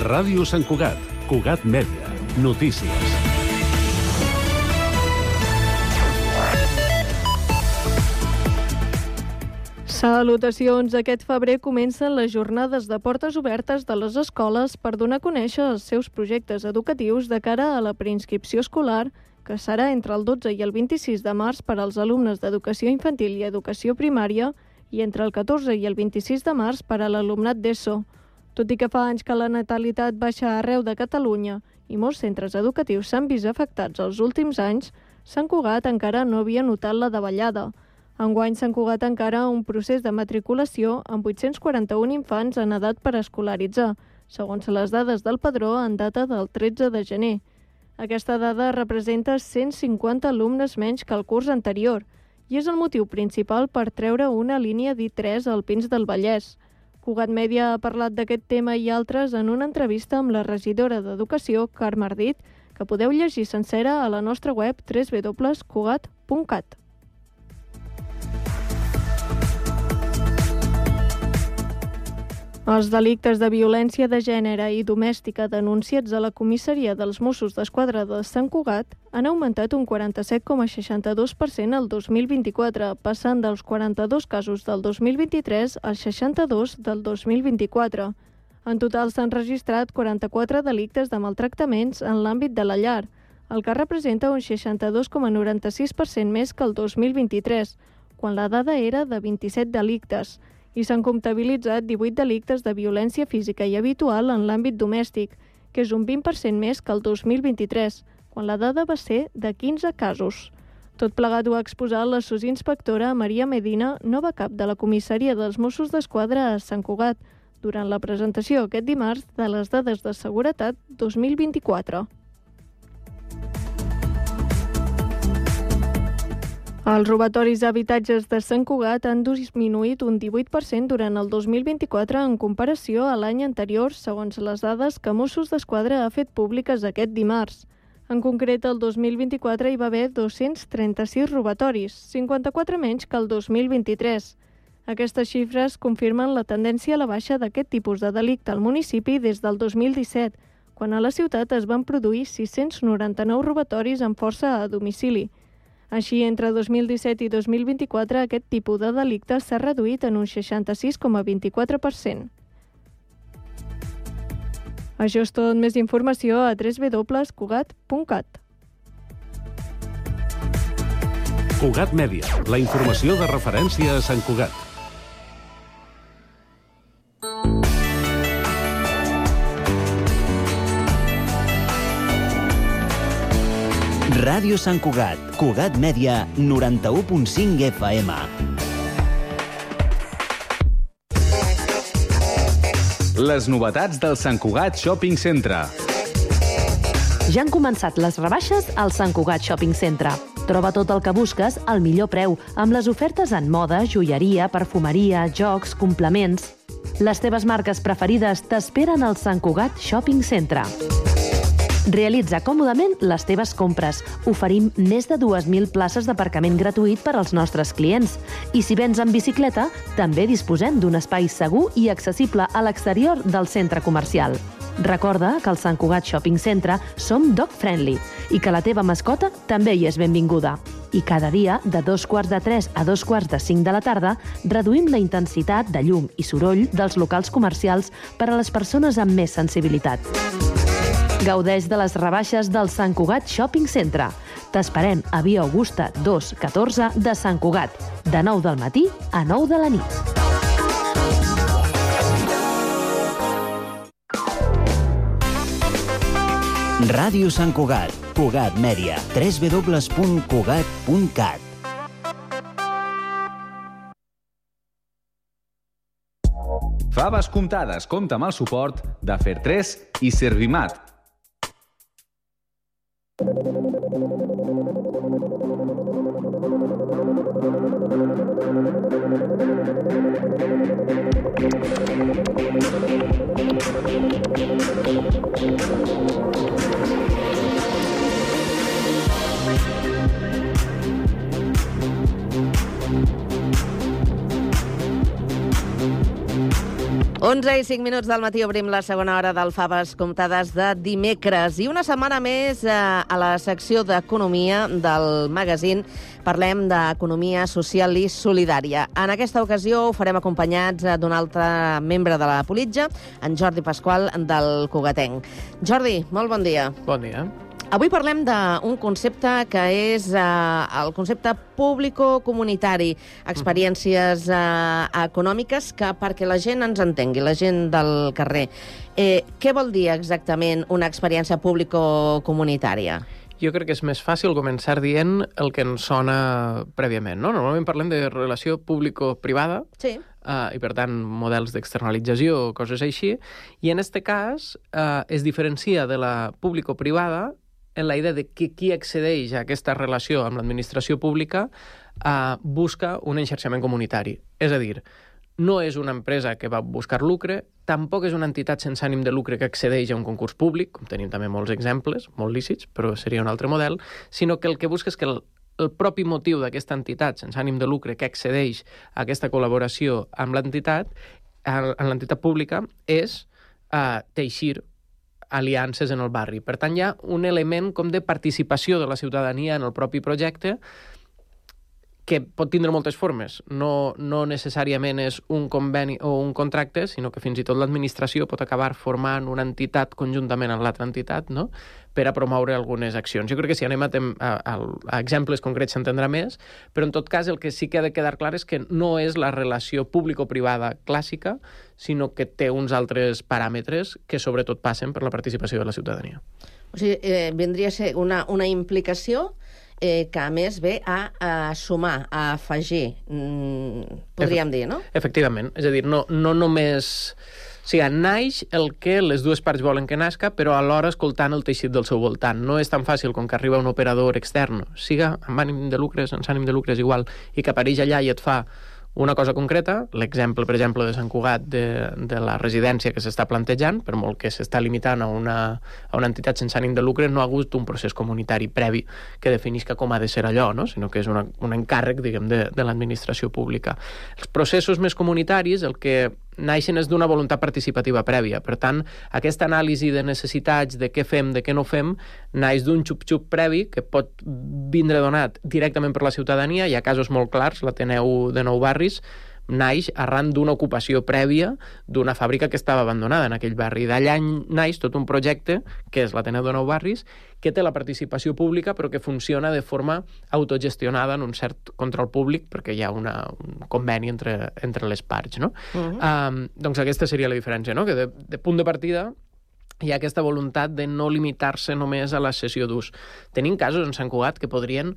Ràdio Sant Cugat, Cugat Mèdia, notícies. Salutacions! Aquest febrer comencen les jornades de portes obertes de les escoles per donar a conèixer els seus projectes educatius de cara a la preinscripció escolar, que serà entre el 12 i el 26 de març per als alumnes d'educació infantil i educació primària i entre el 14 i el 26 de març per a l'alumnat d'ESO. Tot i que fa anys que la natalitat baixa arreu de Catalunya i molts centres educatius s'han vist afectats els últims anys, Sant Cugat encara no havia notat la davallada. Enguany Sant Cugat encara un procés de matriculació amb 841 infants en edat per escolaritzar, segons les dades del Padró en data del 13 de gener. Aquesta dada representa 150 alumnes menys que el curs anterior i és el motiu principal per treure una línia d'I3 al Pins del Vallès. Cugat Mèdia ha parlat d'aquest tema i altres en una entrevista amb la regidora d'Educació, Carme Ardit, que podeu llegir sencera a la nostra web www.cugat.cat. Els delictes de violència de gènere i domèstica denunciats a la comissaria dels Mossos d'Esquadra de Sant Cugat han augmentat un 47,62% el 2024, passant dels 42 casos del 2023 als 62 del 2024. En total s'han registrat 44 delictes de maltractaments en l'àmbit de la llar, el que representa un 62,96% més que el 2023, quan la dada era de 27 delictes, i s'han comptabilitzat 18 delictes de violència física i habitual en l'àmbit domèstic, que és un 20% més que el 2023, quan la dada va ser de 15 casos. Tot plegat ho ha exposat la sosinspectora Maria Medina, nova cap de la comissaria dels Mossos d'Esquadra a Sant Cugat, durant la presentació aquest dimarts de les dades de seguretat 2024. Els robatoris d'habitatges de Sant Cugat han disminuït un 18% durant el 2024 en comparació a l'any anterior, segons les dades que Mossos d'Esquadra ha fet públiques aquest dimarts. En concret, el 2024 hi va haver 236 robatoris, 54 menys que el 2023. Aquestes xifres confirmen la tendència a la baixa d'aquest tipus de delicte al municipi des del 2017, quan a la ciutat es van produir 699 robatoris amb força a domicili. Així, entre 2017 i 2024, aquest tipus de delicte s'ha reduït en un 66,24%. Això és tot. Més informació a www.cugat.cat. Cugat Mèdia, la informació de referència a Sant Cugat. Ràdio Sant Cugat, Cugat Mèdia, 91.5 FM. Les novetats del Sant Cugat Shopping Centre. Ja han començat les rebaixes al Sant Cugat Shopping Centre. Troba tot el que busques al millor preu, amb les ofertes en moda, joieria, perfumeria, jocs, complements. Les teves marques preferides t'esperen al Sant Cugat Shopping Centre. Realitza còmodament les teves compres. Oferim més de 2.000 places d'aparcament gratuït per als nostres clients. I si vens en bicicleta, també disposem d'un espai segur i accessible a l'exterior del centre comercial. Recorda que al Sant Cugat Shopping Centre som dog friendly i que la teva mascota també hi és benvinguda. I cada dia, de 2:45 a 2:45 de la tarda, reduïm la intensitat de llum i soroll dels locals comercials per a les persones amb més sensibilitat. Gaudeix de les rebaixes del Sant Cugat Shopping Centre. T'esperem a Via Augusta 214 de Sant Cugat, de 9 del matí a 9 de la nit. Ràdio Sant Cugat, Cugat Mèdia, www.cugat.cat. Faves comptades compta amb el suport de Fer3 i Servimat. 11:05 del matí obrim la segona hora del Faves Comptades de dimecres. I una setmana més a la secció d'Economia del magazín parlem d'economia social i solidària. En aquesta ocasió ho farem acompanyats d'un altre membre de la Politja, en Jordi Pasqual, del Cugatenc. Jordi, molt bon dia. Bon dia. Avui parlem d'un concepte que és el concepte público-comunitari, experiències econòmiques que perquè la gent ens entengui, la gent del carrer. Què vol dir exactament una experiència público-comunitària? Jo crec que és més fàcil començar dient el que ens sona prèviament, no? Normalment parlem de relació público-privada, sí. I per tant models d'externalització o coses així, i en aquest cas es diferencia de la público-privada en la idea de que qui accedeix a aquesta relació amb l'administració pública busca un enxarxament comunitari. És a dir, no és una empresa que va buscar lucre, tampoc és una entitat sense ànim de lucre que accedeix a un concurs públic, com tenim també molts exemples, molt lícits, però seria un altre model, sinó que el que busca és que el propi motiu d'aquesta entitat sense ànim de lucre que accedeix a aquesta col·laboració amb l'entitat, en l'entitat pública, és teixir aliances en el barri. Per tant, hi ha un element com de participació de la ciutadania en el propi projecte que pot tindre moltes formes. No necessàriament és un conveni o un contracte, sinó que fins i tot l'administració pot acabar formant una entitat conjuntament amb l'altra entitat, no?, per a promoure algunes accions. Jo crec que si anem a exemples concrets s'entendrà més, però en tot cas el que sí que ha de quedar clar és que no és la relació público-privada clàssica, sinó que té uns altres paràmetres que sobretot passen per la participació de la ciutadania. O sigui, vindria a ser una implicació que a més ve a sumar, a afegir, podríem dir, no? Efectivament. És a dir, no només... O sigui, naix el que les dues parts volen que nasca, però alhora escoltant el teixit del seu voltant. No és tan fàcil com que arriba un operador extern, siga amb ànim de lucre, sense ànim de lucre és igual, i que apareix allà i et fa una cosa concreta, l'exemple, per exemple, de Sant Cugat, de la residència que s'està plantejant, per molt que s'està limitant a una entitat sense ànim de lucre, no ha hagut un procés comunitari previ que definisca com ha de ser allò, no? Sinó que és un encàrrec, diguem, de l'administració pública. Els processos més comunitaris, el que naixen és d'una voluntat participativa prèvia. Per tant, aquesta anàlisi de necessitats, de què fem, de què no fem, naix d'un xup-xup previ que pot vindre donat directament per la ciutadania. Hi ha casos molt clars, l'Ateneu de Nou Barris naix arran d'una ocupació prèvia d'una fàbrica que estava abandonada en aquell barri. D'allà naix tot un projecte, que és l'Ateneu de Nou Barris, que té la participació pública però que funciona de forma autogestionada en un cert control públic perquè hi ha un conveni entre les parts, no? Doncs aquesta seria la diferència, no? Que de punt de partida hi ha aquesta voluntat de no limitar-se només a la cessió d'ús. Tenim casos en Sant Cugat que podrien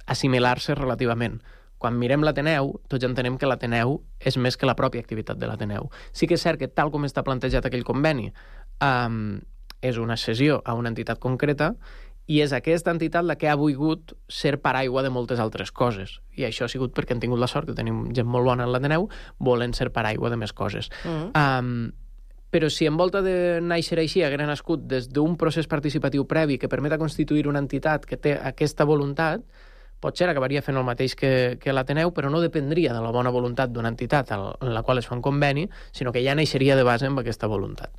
assimilar-se relativament. Quan mirem l'Ateneu, tots entenem que l'Ateneu és més que la pròpia activitat de l'Ateneu. Sí que és cert que tal com està plantejat aquell conveni, és una cessió a una entitat concreta i és aquesta entitat la que ha volgut ser paraigua de moltes altres coses. I això ha sigut perquè han tingut la sort que tenim gent molt bona en l'Ateneu, volen ser paraigua de més coses. Però si en volta de néixer així haguera nascut des d'un procés participatiu previ que permeta constituir una entitat que té aquesta voluntat, potser acabaria fent el mateix que l'Ateneu, però no dependria de la bona voluntat d'una entitat en la qual es fa un conveni, sinó que ja naixeria de base amb aquesta voluntat.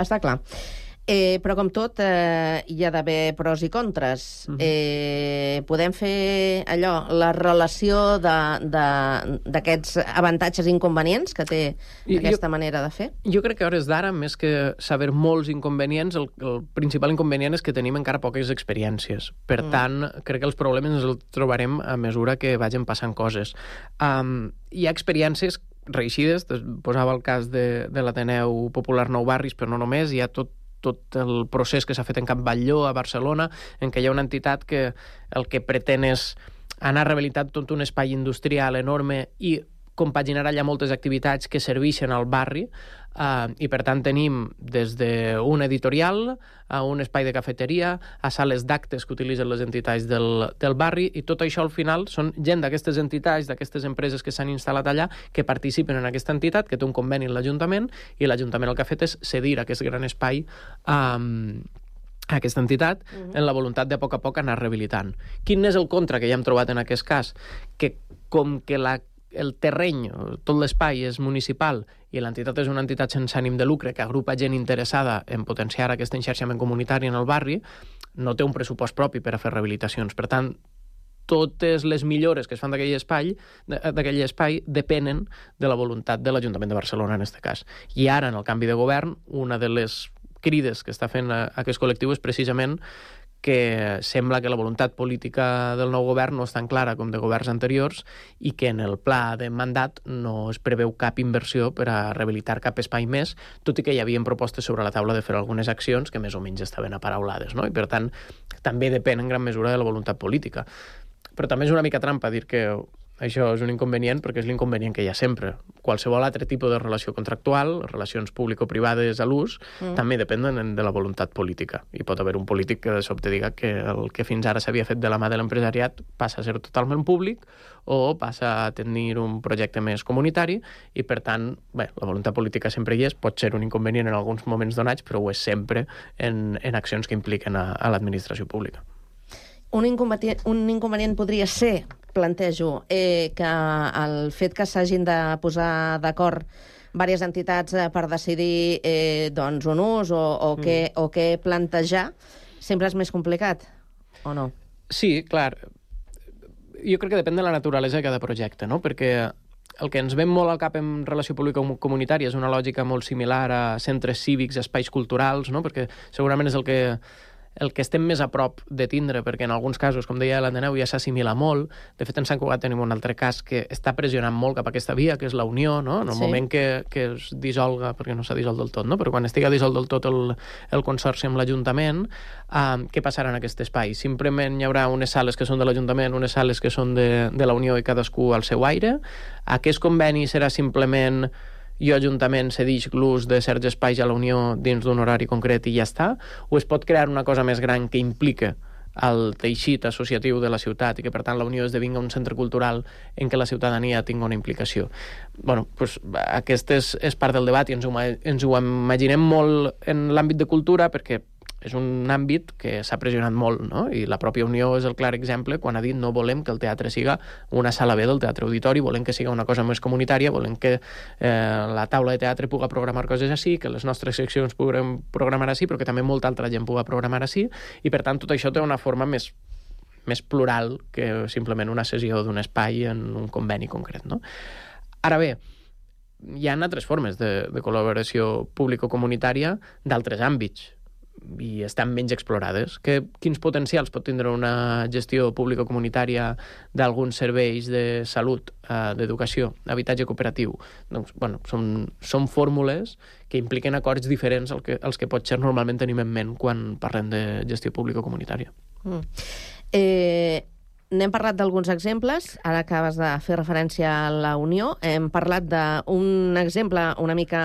Està clar. Però com tot, hi ha d'haver pros i contres. Podem fer allò, la relació d'aquests avantatges i inconvenients que té aquesta manera de fer? Jo crec que a hores d'ara, més que saber molts inconvenients, el principal inconvenient és que tenim encara poques experiències. Per tant, crec que els problemes ens els trobarem a mesura que vagin passant coses. Hi ha experiències reeixides, posava el cas de l'Ateneu Popular Nou Barris, però no només, hi ha tot el procés que s'ha fet en Can Batlló, a Barcelona, en què hi ha una entitat que el que pretén és anar rehabilitant tot un espai industrial enorme i compaginar allà moltes activitats que serveixen al barri i per tant tenim des d'un editorial a un espai de cafeteria a sales d'actes que utilitzen les entitats del barri i tot això al final són gent d'aquestes entitats, d'aquestes empreses que s'han instal·lat allà que participen en aquesta entitat, que té un conveni amb l'Ajuntament i l'Ajuntament el que ha fet és cedir aquest gran espai a aquesta entitat en la voluntat de a poc anar rehabilitant. Quin és el contra que ja hem trobat en aquest cas? Que com que la el terreny, tot l'espai és municipal i l'entitat és una entitat sense ànim de lucre que agrupa gent interessada en potenciar aquest enxarxament comunitari en el barri, no té un pressupost propi per a fer rehabilitacions. Per tant, totes les millores que es fan d'aquell espai depenen de la voluntat de l'Ajuntament de Barcelona, en aquest cas. I ara, en el canvi de govern, una de les crides que està fent aquest col·lectiu és precisament que sembla que la voluntat política del nou govern no és tan clara com de governs anteriors i que en el pla de mandat no es preveu cap inversió per a rehabilitar cap espai més, tot i que hi havia propostes sobre la taula de fer algunes accions que més o menys estaven aparaulades, no? I per tant, també depèn en gran mesura de la voluntat política. Però també és una mica trampa dir que això és un inconvenient perquè és l'inconvenient que hi ha sempre. Qualsevol altre tipus de relació contractual, relacions público-privades a l'ús, també depenen de la voluntat política. I pot haver un polític que de sobte diga que el que fins ara s'havia fet de la mà de l'empresariat passa a ser totalment públic o passa a tenir un projecte més comunitari i, per tant, bé, la voluntat política sempre hi és, pot ser un inconvenient en alguns moments donats, però ho és sempre en accions que impliquen a l'administració pública. Un inconvenient podria ser, plantejo, que el fet que s'hagin de posar d'acord diverses entitats per decidir un ús o què plantejar sempre és més complicat, o no? Sí, clar. Jo crec que depèn de la naturalesa de cada projecte, no? Perquè el que ens ven molt al cap en relació pública-comunitària és una lògica molt similar a centres cívics, espais culturals, no? Perquè segurament és el que estem més a prop de tindre, perquè en alguns casos, com deia l'Ateneu, ja s'assimila molt. De fet, en Sant Cugat tenim un altre cas que està pressionant molt cap a aquesta via, que és la Unió, no? En el moment que es dissolga, perquè no s'ha dissolt del tot, no? Però quan estigui dissolt del tot el consorci amb l'Ajuntament, què passarà en aquest espai? Simplement hi haurà unes sales que són de l'Ajuntament, unes sales que són de la Unió i cadascú al seu aire. Aquest conveni serà simplement i Ajuntament cedix l'ús de certs espais a la Unió dins d'un horari concret i ja està? O es pot crear una cosa més gran que implica el teixit associatiu de la ciutat i que, per tant, la Unió esdevinga un centre cultural en què la ciutadania tingui una implicació? Bueno, doncs aquest és part del debat i ens ho imaginem molt en l'àmbit de cultura perquè és un àmbit que s'ha pressionat molt, no? I la pròpia Unió és el clar exemple quan ha dit no volem que el teatre siga una sala B del teatre auditori, volem que siga una cosa més comunitària, volem que la taula de teatre pugui programar coses així, que les nostres seccions puguem programar així, però que també molta altra gent pugui programar així, i per tant tot això té una forma més plural que simplement una cessió d'un espai en un conveni concret, no? Ara bé, hi ha altres formes de col·laboració público-comunitària d'altres àmbits i estan menys explorades. Quins potencials pot tindre una gestió pública-comunitària d'alguns serveis de salut, d'educació, habitatge cooperatiu? Doncs, bueno, són fórmules que impliquen acords diferents als que potser normalment tenim en ment quan parlem de gestió pública-comunitària. N'hem parlat d'alguns exemples, ara acabes de fer referència a la Unió, hem parlat d'un exemple una mica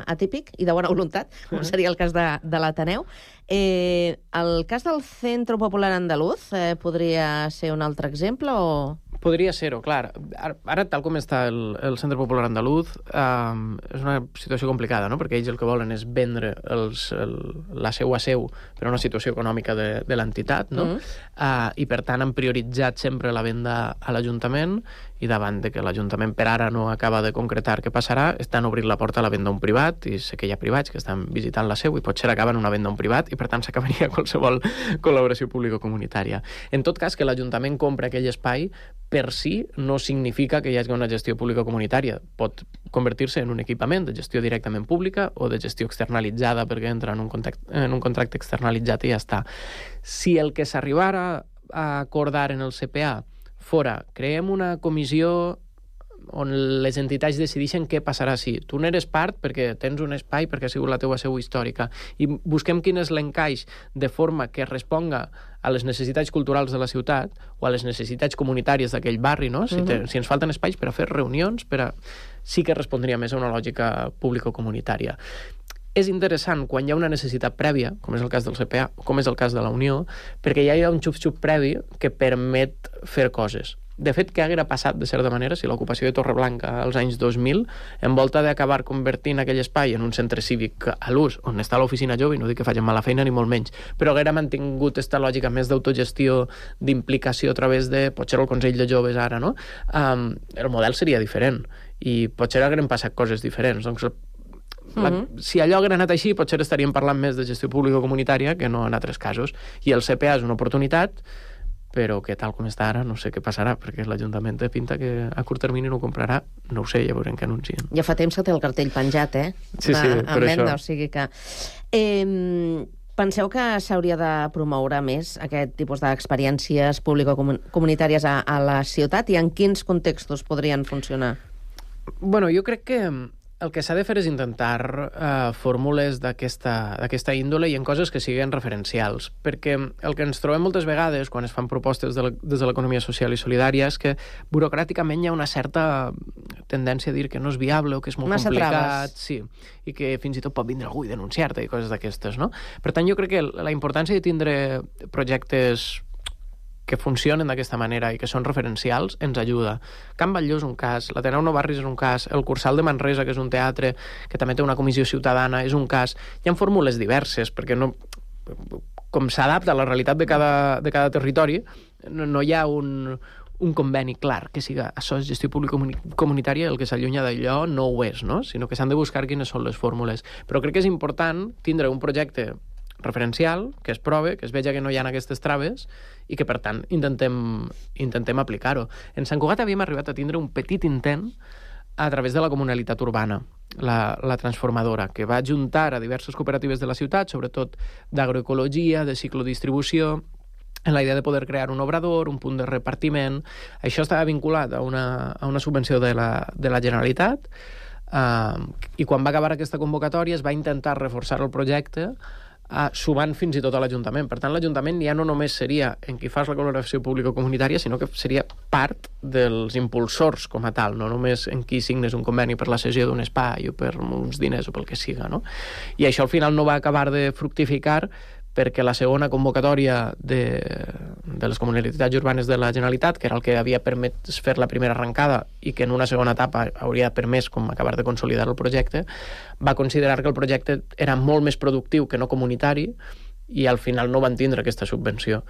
atípic i de bona voluntat, com seria el cas de l'Ateneu. El cas del Centro Popular Andaluz podria ser un altre exemple o...? Podria ser-ho, clar. Ara, tal com està el Centre Popular Andaluz, és una situació complicada, no? Perquè ells el que volen és vendre la seua seu per a una situació econòmica de l'entitat, no? I, per tant, han prioritzat sempre la venda a l'Ajuntament i davant de que l'Ajuntament per ara no acaba de concretar què passarà, estan obrint la porta a la venda a un privat, i sé que hi ha privats que estan visitant la seu i potser acaben una venda a un privat i, per tant, s'acabaria qualsevol col·laboració público-comunitària. En tot cas, que l'Ajuntament compra aquell espai per si no significa que hi hagi una gestió pública-comunitària. Pot convertir-se en un equipament de gestió directament pública o de gestió externalitzada perquè entra en un contracte externalitzat i ja està. Si el que s'arribara a acordar en el CPA fora, creem una comissió on les entitats decideixen què passarà si tu n'eres part perquè tens un espai, perquè ha sigut la teva seu històrica, i busquem quin és l'encaix de forma que responga a les necessitats culturals de la ciutat o a les necessitats comunitàries d'aquell barri, no? Si ens falten espais per a fer reunions, sí que respondria més a una lògica público-comunitària. És interessant quan hi ha una necessitat prèvia, com és el cas del CPA, com és el cas de la Unió, perquè ja hi ha un xup-xup previ que permet fer coses. De fet, què haguera passat, de certa manera, si l'ocupació de Torreblanca als anys 2000, en volta d'acabar convertint aquell espai en un centre cívic a l'ús, on està l'oficina jove, i no dic que facin mala feina ni molt menys, però haguera mantingut esta lògica més d'autogestió, d'implicació a través de, potser el Consell de Joves ara, no? El model seria diferent, i potser hagueren passat coses diferents. Doncs si allò haguera anat així, potser estaríem parlant més de gestió pública comunitària que no en altres casos. I el CPA és una oportunitat, però que tal com està ara no sé què passarà, perquè l'Ajuntament té pinta que a curt termini no ho comprarà, no ho sé, ja veurem què anuncien. Ja fa temps que té el cartell penjat, Sí, per venda, això. O sigui que... Penseu que s'hauria de promoure més aquest tipus d'experiències público-comunitàries a la ciutat, i en quins contextos podrien funcionar? Bueno, jo crec que el que s'ha de fer és intentar fórmules d'aquesta índole i en coses que siguin referencials, perquè el que ens trobem moltes vegades quan es fan propostes des de l'economia social i solidària és que burocràticament hi ha una certa tendència a dir que no és viable o que és molt complicat, sí, i que fins i tot pot vindre algú i denunciar-te i coses d'aquestes, no? Per tant, jo crec que la importància de tindre projectes que funcionen d'aquesta manera i que són referencials ens ajuda. Can Batlló és un cas, l'Ateneu Nou Barris és un cas, el Cursal de Manresa, que és un teatre que també té una comissió ciutadana, és un cas. Hi ha fórmules diverses, perquè no, com s'adapta a la realitat de cada territori, no hi ha un conveni clar que siga això és gestió pública comunitària, el que s'allunya d'allò no ho és, no? Sinó que s'han de buscar quines són les fórmules. Però crec que és important tindre un projecte referencial, que es prove, que es veja que no hi ha aquestes traves i que, per tant, intentem aplicar-ho. En Sant Cugat havíem arribat a tindre un petit intent a través de la comunalitat urbana, la transformadora, que va juntar a diverses cooperatives de la ciutat, sobretot d'agroecologia, de ciclodistribució, en la idea de poder crear un obrador, un punt de repartiment. Això estava vinculat a una subvenció de la Generalitat, i quan va acabar aquesta convocatòria es va intentar reforçar el projecte sumant fins i tot a l'Ajuntament. Per tant, l'Ajuntament ja no només seria en qui fas la col·laboració pública-comunitària, sinó que seria part dels impulsors com a tal, no només en qui signes un conveni per la cessió d'un espai o per uns diners o pel que siga, no? I això al final no va acabar de fructificar perquè la segona convocatòria de les comunitats urbanes de la Generalitat, que era el que havia permès fer la primera arrencada i que en una segona etapa hauria permès com acabar de consolidar el projecte, va considerar que el projecte era molt més productiu que no comunitari i al final no van tindre aquesta subvenció.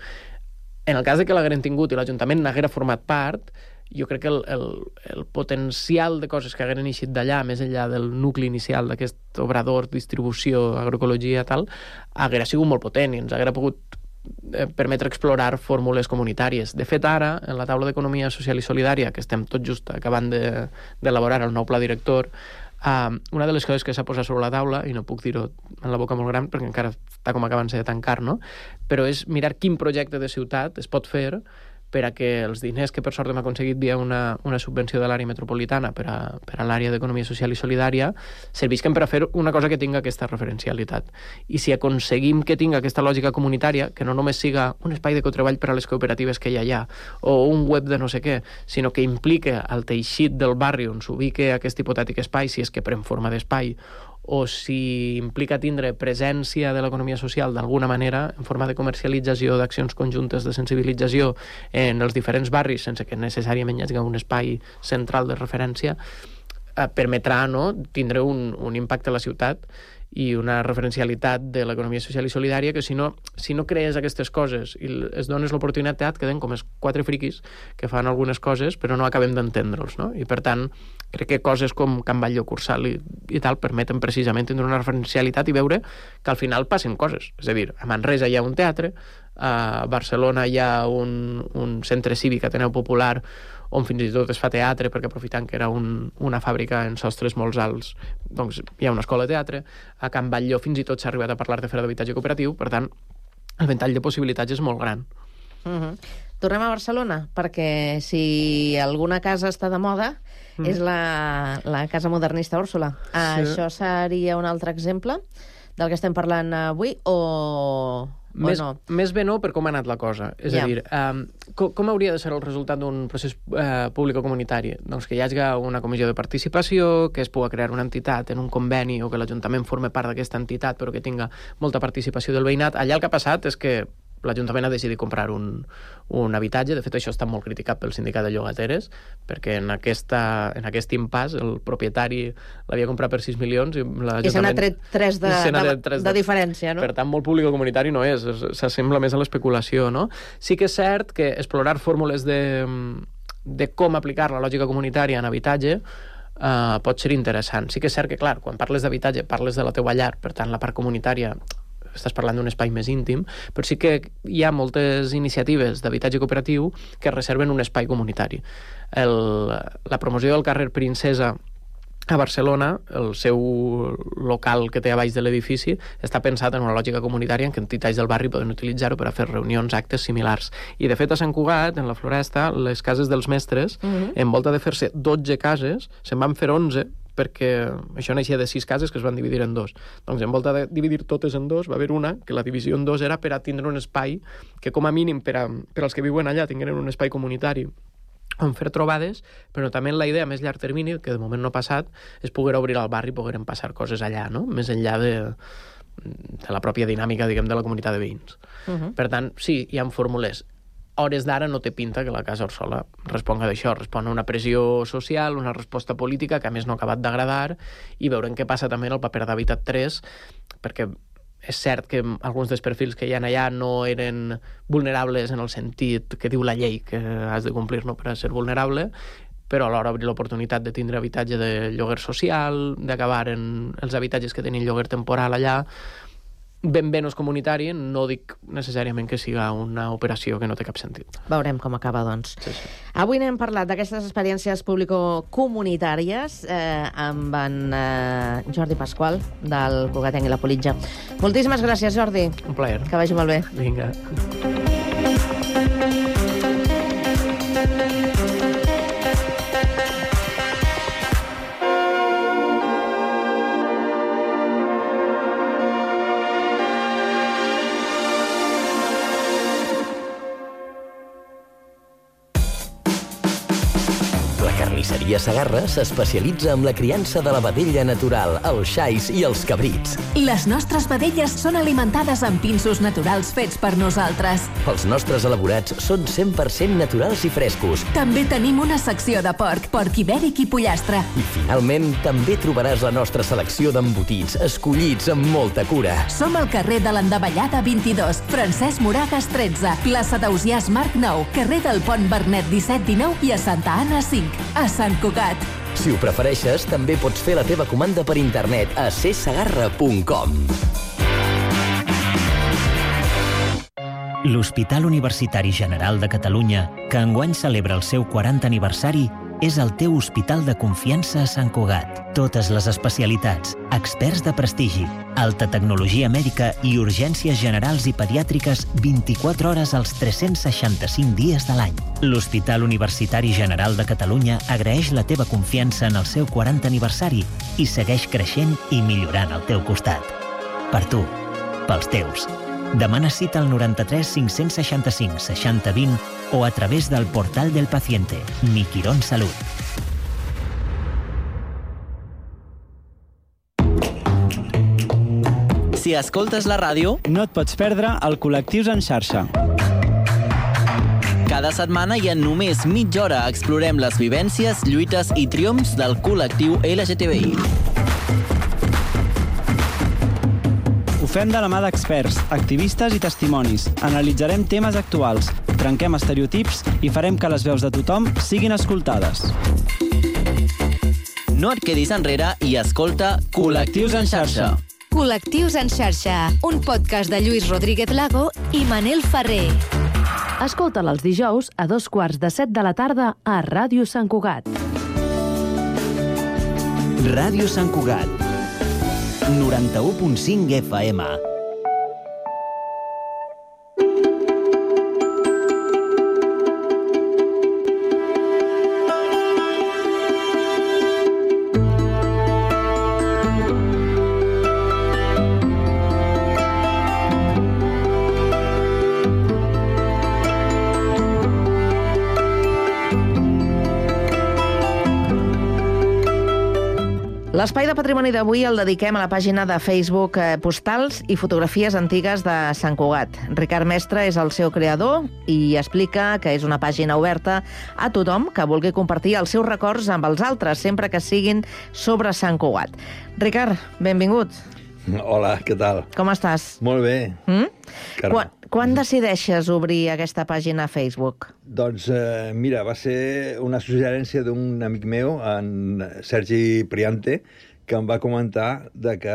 En el cas de que l'hagueren tingut i l'Ajuntament n'haguera format part, jo crec que el potencial de coses que hagueren eixit d'allà, més enllà del nucli inicial d'aquest obrador, distribució, agroecologia, tal, haguera sigut molt potent i ens haguera pogut permetre explorar fórmules comunitàries. De fet, ara, en la taula d'Economia Social i Solidària, que estem tot just acabant d'elaborar el nou pla director, una de les coses que s'ha posat sobre la taula, i no puc dir-ho en la boca molt gran perquè encara està com acabant-se de tancar, no? Però és mirar quin projecte de ciutat es pot fer per a que els diners que per sort hem aconseguit via una subvenció de l'àrea metropolitana per a l'àrea d'economia social i solidària servisquen per a fer una cosa que tinga aquesta referencialitat. I si aconseguim que tinga aquesta lògica comunitària, que no només siga un espai de cotreball per a les cooperatives que hi ha allà, o un web de no sé què, sinó que implique el teixit del barri on s'ubique aquest hipotètic espai, si és que pren forma d'espai, o si implica tindre presència de l'economia social d'alguna manera en forma de comercialització, d'accions conjuntes de sensibilització en els diferents barris, sense que necessàriament hi hagi un espai central de referència, permetrà tindre un impacte a la ciutat i una referencialitat de l'economia social i solidària que si no crees aquestes coses i es dones l'oportunitat, queden com els quatre friquis que fan algunes coses però no acabem d'entendre'ls, no? I per tant crec que coses com Can Batlló, Cursal i tal permeten precisament tindre una referencialitat i veure que al final passen coses. És a dir, a Manresa hi ha un teatre, a Barcelona hi ha un centre cívic Ateneu Popular on fins i tot es fa teatre perquè aprofitant que era una fàbrica en sostres molt alts, doncs hi ha una escola de teatre. A Can Batlló fins i tot s'ha arribat a parlar de fer d'habitatge cooperatiu, per tant el ventall de possibilitats és molt gran. Tornem a Barcelona, perquè si alguna casa està de moda és la Casa Modernista Úrsula. Això seria un altre exemple del que estem parlant avui o no? Més bé no per com ha anat la cosa. És a dir, com hauria de ser el resultat d'un procés públic o comunitari? Doncs que hi hagi una comissió de participació, que es pugui crear una entitat en un conveni o que l'Ajuntament forme part d'aquesta entitat però que tinga molta participació del veïnat. Allà el que ha passat és que l'Ajuntament ha decidit comprar un habitatge. De fet, això està molt criticat pel sindicat de llogateres, perquè en aquest impàs el propietari l'havia comprat per 6 milions i l'Ajuntament... I se n'ha tret 3 de diferència, no? Per tant, molt públic o comunitari no és, s'assembla més a l'especulació, no? Sí que és cert que explorar fórmules de com aplicar la lògica comunitària en habitatge pot ser interessant. Sí que és cert que, clar, quan parles d'habitatge parles de la teua llar, per tant, la part comunitària estàs parlant d'un espai més íntim, però sí que hi ha moltes iniciatives d'habitatge cooperatiu que reserven un espai comunitari. La promoció del carrer Princesa a Barcelona, el seu local que té a baix de l'edifici, està pensat en una lògica comunitària en què entitats del barri poden utilitzar-ho per a fer reunions, actes similars. I, de fet, a Sant Cugat, en la Floresta, les cases dels mestres, en volta de fer-se 12 cases, se'n van fer 11, perquè això naixia de 6 cases que es van dividir en 2. Doncs en volta de dividir totes en 2 va haver una que la divisió en 2 era per a tindre un espai que com a mínim per als que viuen allà tingueren un espai comunitari on fer trobades, però també la idea a més llarg termini, que de moment no ha passat, és poder obrir al barri i pogueren passar coses allà, no? Més enllà de la pròpia dinàmica, diguem, de la comunitat de veïns. Per tant, sí, hi ha fórmules. Hores d'ara no té pinta que la Casa Orsola responga d'això, respon a una pressió social, una resposta política que a més no ha acabat d'agradar, i veurem què passa també en el paper d'Habitat 3, perquè és cert que alguns dels perfils que hi ha allà no eren vulnerables en el sentit que diu la llei que has de complir, no, per a ser vulnerable, però alhora obrir l'oportunitat de tindre habitatge de lloguer social, d'acabar en els habitatges que tenen lloguer temporal allà, ben no és comunitari, no dic necessàriament que siga una operació que no té cap sentit. Veurem com acaba, doncs. Sí. Avui n'hem parlat d'aquestes experiències público-comunitàries amb en Jordi Pasqual, del Cugatenc i la Politja. Moltíssimes gràcies, Jordi. Un plaer. Que vagi molt bé. Vinga. Carnisseria Segarra s'especialitza en la criança de la vedella natural, els xais i els cabrits. Les nostres vedelles són alimentades amb pinsos naturals fets per nosaltres. Els nostres elaborats són 100% naturals i frescos. També tenim una secció de porc ibèric i pollastre. I finalment també trobaràs la nostra selecció d'embotits, escollits amb molta cura. Som al carrer de l'Endavellada 22, Francesc Moragas 13, plaça d'Ausiàs Marc 9, carrer del Pont Bernet 17-19 i a Santa Anna 5. A Sant Cugat. Si ho prefereixes, també pots fer la teva comanda per internet a csegarra.com. L'Hospital Universitari General de Catalunya, que enguany celebra el seu 40 aniversari, és el teu hospital de confiança a Sant Cugat. Totes les especialitats, experts de prestigi, alta tecnologia mèdica i urgències generals i pediàtriques 24 hores als 365 dies de l'any. L'Hospital Universitari General de Catalunya agraeix la teva confiança en el seu 40 aniversari i segueix creixent i millorant al teu costat. Per tu, pels teus. Demana cita al 93 565 60 20 o a través del portal del paciente, Mi Quirón Salut. Si escoltes la ràdio, no et pots perdre el Col·lectius en xarxa. Cada setmana i en només mitja hora explorem les vivències, lluites i triomfs del col·lectiu LGTBI. Ho fem de la mà d'experts, activistes i testimonis. Analitzarem temes actuals, trenquem estereotips i farem que les veus de tothom siguin escoltades. No et quedis enrere i escolta Col·lectius en xarxa. Col·lectius en xarxa, un podcast de Lluís Rodríguez Lago i Manel Ferrer. Escolta'l els dijous a 2:15 de la tarda a Ràdio Sant Cugat. Ràdio Sant Cugat, 91.5 FM. L'espai de patrimoni d'avui el dediquem a la pàgina de Facebook Postals i fotografies antigues de Sant Cugat. Ricard Mestre és el seu creador i explica que és una pàgina oberta a tothom que vulgui compartir els seus records amb els altres, sempre que siguin sobre Sant Cugat. Ricard, benvingut. Hola, què tal? Com estàs? Molt bé. Quan decideixes obrir aquesta pàgina a Facebook? Doncs, mira, va ser una suggerència d'un amic meu, en Sergi Priante, que em va comentar que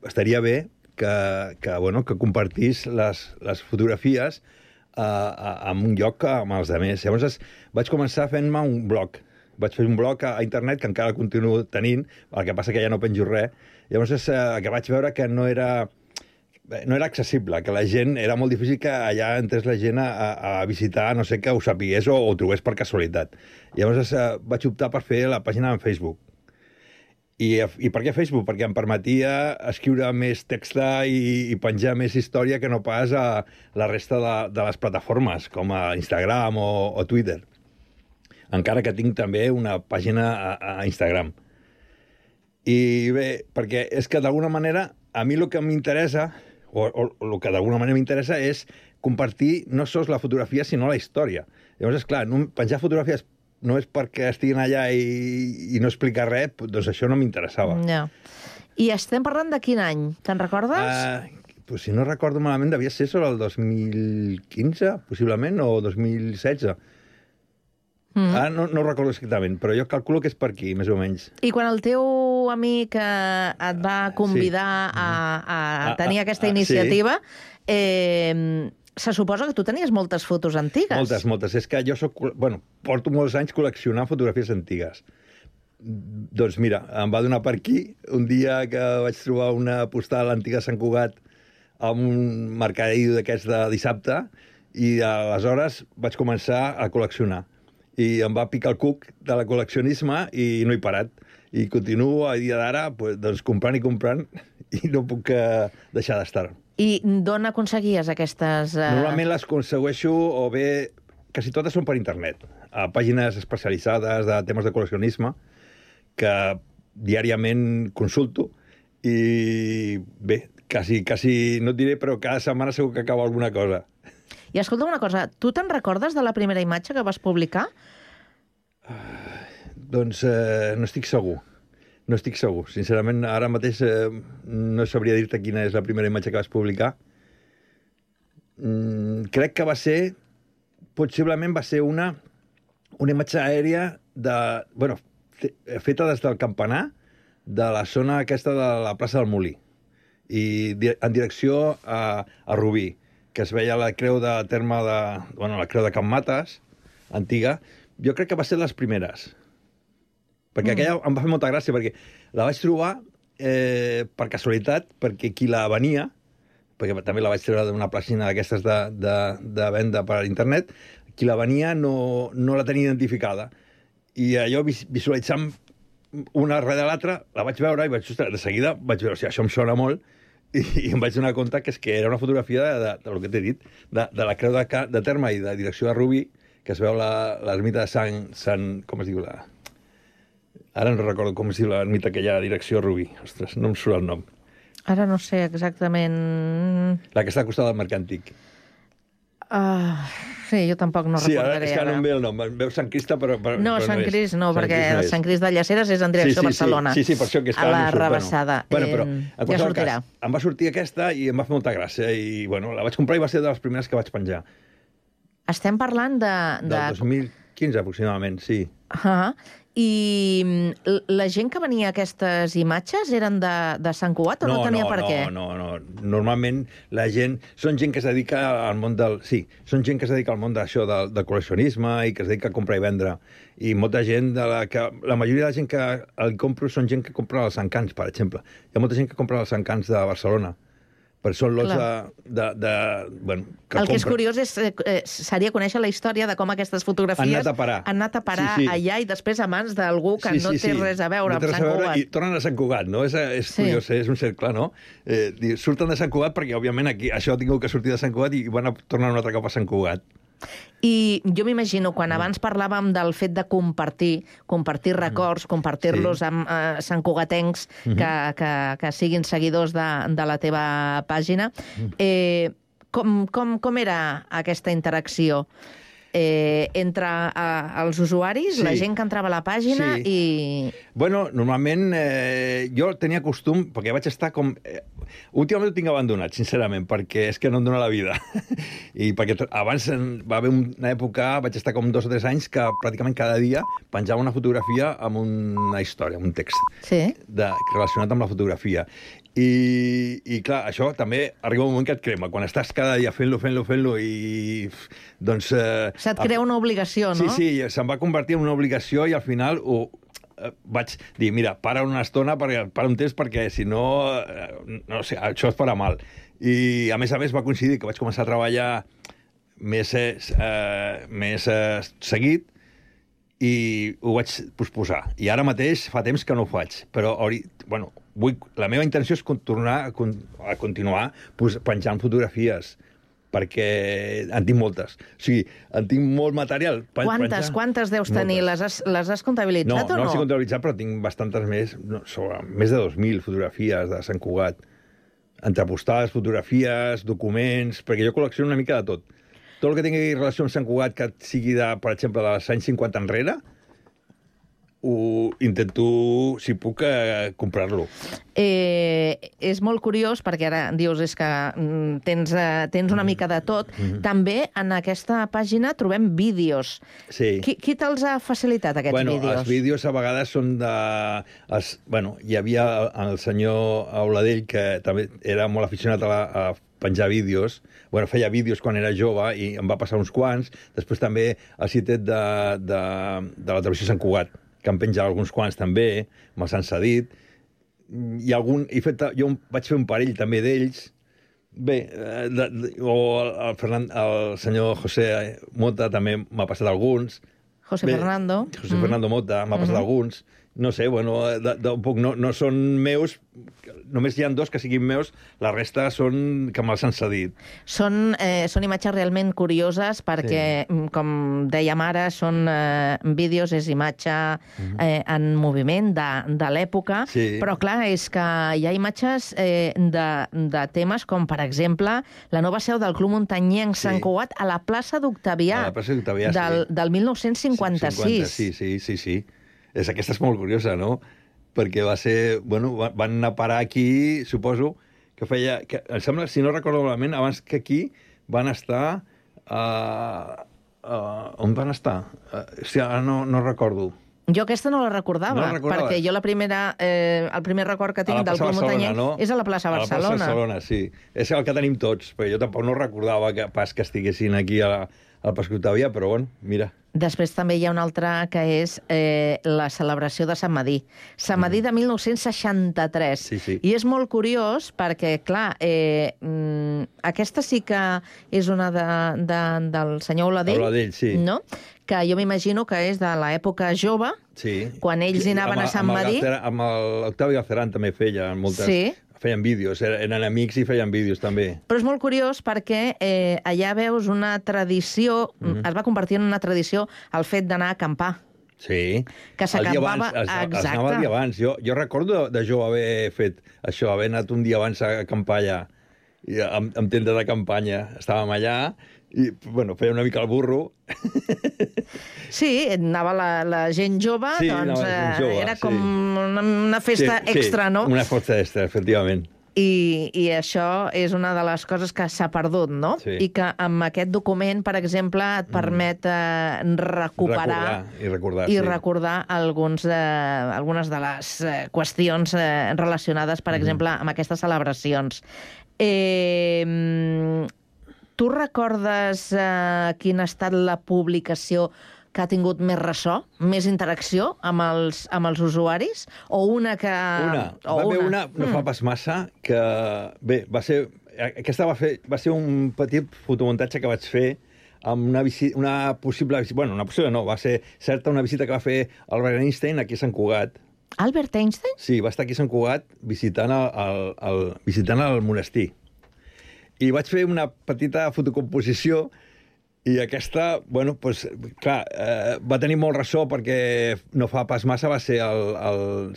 estaria bé que compartís les fotografies en un lloc amb els altres. Llavors vaig començar fent-me un blog. Vaig fer un blog a internet, que encara el continuo tenint, el que passa que ja no penjo res. Llavors que vaig veure que no era accessible, que la gent, era molt difícil que allà entrés la gent a visitar, no sé, que ho sapigués o ho trobés per casualitat. Llavors vaig optar per fer la pàgina en Facebook. I per què Facebook? Perquè em permetia escriure més text i penjar més història que no pas a la resta de les plataformes, com a Instagram o Twitter. Encara que tinc també una pàgina a Instagram. I bé, perquè és que d'alguna manera a mi el que m'interessa, o el que d'alguna manera m'interessa, és compartir no sols la fotografia, sinó la història. Llavors, esclar, penjar fotografies no és perquè estiguin allà i no explicar res, doncs això no m'interessava. No. I estem parlant de quin any? Te'n recordes? Pues si no recordo malament, devia ser sobre el 2015, possiblement, o 2016. No recordo exactament, però jo calculo que és per aquí, més o menys. I quan el teu amic et va convidar a tenir aquesta iniciativa, se suposa que tu tenies moltes fotos antigues. Moltes. És que jo porto molts anys col·leccionant fotografies antigues. Doncs mira, em va donar per aquí un dia que vaig trobar una postal antiga a Sant Cugat amb un mercadillo d'aquests de dissabte i aleshores vaig començar a col·leccionar. I em va picar el cuc de la col·leccionisme i no he parat. I continuo a dia d'ara doncs, comprant i no puc deixar d'estar. I d'on aconseguies aquestes... Normalment les aconsegueixo o bé... Quasi totes són per internet. A pàgines especialitzades de temes de col·leccionisme que diàriament consulto i bé, quasi no et diré, però cada setmana segur que acaba alguna cosa. I escolta una cosa, tu te'n recordes de la primera imatge que vas publicar? Doncs no estic segur. Sincerament, ara mateix no sabria dir-te quina és la primera imatge que vas publicar. Crec que possiblement va ser una imatge aèria feta des del campanar de la zona aquesta de la plaça del Molí i en direcció a Rubí, que es veia la creu de terme la creu de Can Mates, antiga. Jo crec que va ser de les primeres. Perquè aquella em va fer molta gràcia, perquè la vaig trobar per casualitat, perquè qui la venia, perquè també la vaig treure d'una pàgina d'aquestes de venda per internet, qui la venia no la tenia identificada. I allò, visualitzant una darrere l'altra, la vaig veure i de seguida vaig veure, això em sona molt, i em vaig donar compte que era una fotografia del que t'he dit, de la creu de terme i de direcció a Rubí, que es veu l'ermita de Sant... Com es diu la... Ara no recordo com es diu l'ermita que hi ha a direcció a Rubí. Ostres, no em surt el nom. Ara no sé exactament... La que està al costat del Mercat Antic. Sí, jo tampoc no recordaré. Sí, és que no em ve el nom. Em veu Sant Crist, però no, Sant Crist no, perquè Sant Crist de Llaceres és en direcció a Barcelona. Sí, per això que a la Rebassada. Però ja sortirà. Em va sortir aquesta i em va fer molta gràcia. I, la vaig comprar i va ser de les primeres que vaig penjar. Estem parlant del 2015, aproximadament, sí. I la gent que venia a aquestes imatges eren de Sant Cugat o no tenia per què? No. Normalment la gent... Són gent que es dedica al món del... Sí, són gent que es dedica al món d'això, del col·leccionisme i que es dedica a comprar i vendre. I molta gent la majoria de la gent que el compro són gent que compra els encants, per exemple. Hi ha molta gent que compra els encants de Barcelona. Però són lots el que és curiós seria conèixer la història de com aquestes fotografies han anat a parar allà i després a mans d'algú que no té res a veure amb Sant Cugat. I tornen a Sant Cugat, no? És curiós, és un cercle, no? Surten de Sant Cugat perquè, òbviament, aquí això ha tingut que sortir de Sant Cugat i van a tornar un altre cop a Sant Cugat. I jo m'imagino, quan abans parlàvem del fet de compartir records, compartir-los amb santcugatencs que siguin seguidors de la teva pàgina, com era aquesta interacció entre els usuaris, la gent que entrava a la pàgina i... Bueno, normalment jo tenia costum, perquè vaig estar com... Últimament ho tinc abandonat, sincerament, perquè és que no em dóna la vida. I perquè abans va haver una època, vaig estar com 2 o 3 anys, que pràcticament cada dia penjava una fotografia amb una història, un text relacionat amb la fotografia. I clar, això també arriba un moment que et crema. Quan estàs cada dia fent-lo i... doncs... Se't crea una obligació, no? Sí, se'm va convertir en una obligació i al final vaig dir, mira, para una estona, para un temps, perquè si no, no sé, això es farà mal. I a més va coincidir que vaig començar a treballar més seguit i ho vaig posposar. I ara mateix fa temps que no ho faig, però bueno, la meva intenció és tornar a continuar penjant fotografies, perquè en tinc moltes. O sigui, en tinc molt material. Quantes deus tenir? Les has comptabilitzat o no? No les he comptabilitzat, però tinc bastantes més, més de 2.000 fotografies de Sant Cugat. Entre postals, fotografies, documents, perquè jo col·lecciono una mica de tot. Tot el que tingui relació amb Sant Cugat, que sigui, per exemple, dels anys 50 enrere, ho intento, si puc, comprar-lo. És molt curiós, perquè ara dius és que tens una mica de tot. També en aquesta pàgina trobem vídeos. Sí. Qui te'ls ha facilitat, aquests vídeos? Els vídeos a vegades són de... hi havia el senyor Auladell, que també era molt aficionat a penjar vídeos. Feia vídeos quan era jove i em va passar uns quants. Després també el citet de la televisió Sant Cugat, que em penja alguns quants també, me'ls han cedit. Jo vaig fer un parell també d'ells. Bé, el senyor José Mota també m'ha passat alguns. José Fernando Mota m'ha passat alguns. No sé, no són meus, només hi ha 2 que siguin meus, la resta són que me'ls han cedit. Són imatges realment curioses perquè, com dèiem ara, són vídeos, és imatge en moviment de l'època, però clar, és que hi ha imatges de temes com, per exemple, la nova seu del Club Muntanyenc Sant Cugat a la plaça d'Octavià del 1956. Sí. Aquesta és molt curiosa, no? Perquè va ser... van anar a parar aquí, suposo, que feia... Em sembla, si no recordo malament, abans que aquí van estar... on van estar? Ara no recordo. Jo aquesta no la recordava, perquè jo el primer record que tinc del Club Muntanyenc és a la plaça Barcelona. A la plaça Barcelona, sí. És el que tenim tots, perquè jo tampoc no recordava pas que estiguessin aquí al Passeig d'Octavià, però mira... Després també hi ha una altra que és la celebració de Sant Madí. Sant Madí de 1963. I és molt curiós perquè, clar, aquesta sí que és una del senyor Oladell, no? Que jo m'imagino que és de l'època jove, quan ells hi anaven a Sant Madí. Amb l'Octavi Galceran també feia moltes... Feien vídeos, eren amics i feien vídeos també. Però és molt curiós perquè allà veus una tradició, es va convertir en una tradició el fet d'anar a acampar. Sí. Que s'acampava... Exacte. Es anava el dia abans. Jo recordo de jove haver fet això, haver anat un dia abans a acampar allà, amb tenda de campanya. Estàvem allà i, feia una mica el burro. Sí, anava la gent jove, doncs era com una festa extra, no? Una festa extra, efectivament. I això és una de les coses que s'ha perdut, no? I que amb aquest document, per exemple, et permet recuperar i recordar algunes de les qüestions relacionades, per exemple, amb aquestes celebracions. Tu recordes quina ha estat la publicació que ha tingut més ressò, més interacció amb els usuaris? O una que... Va haver una, no fa pas massa, que... Bé, aquesta va ser un petit fotomuntatge que vaig fer amb una possible visita... Una possible no, va ser certa una visita que va fer Albert Einstein aquí a Sant Cugat. Albert Einstein? Sí, va estar aquí a Sant Cugat visitant el monestir. I vaig fer una petita fotocomposició I aquesta, bueno, doncs, clar, va tenir molt ressò perquè no fa pas massa va ser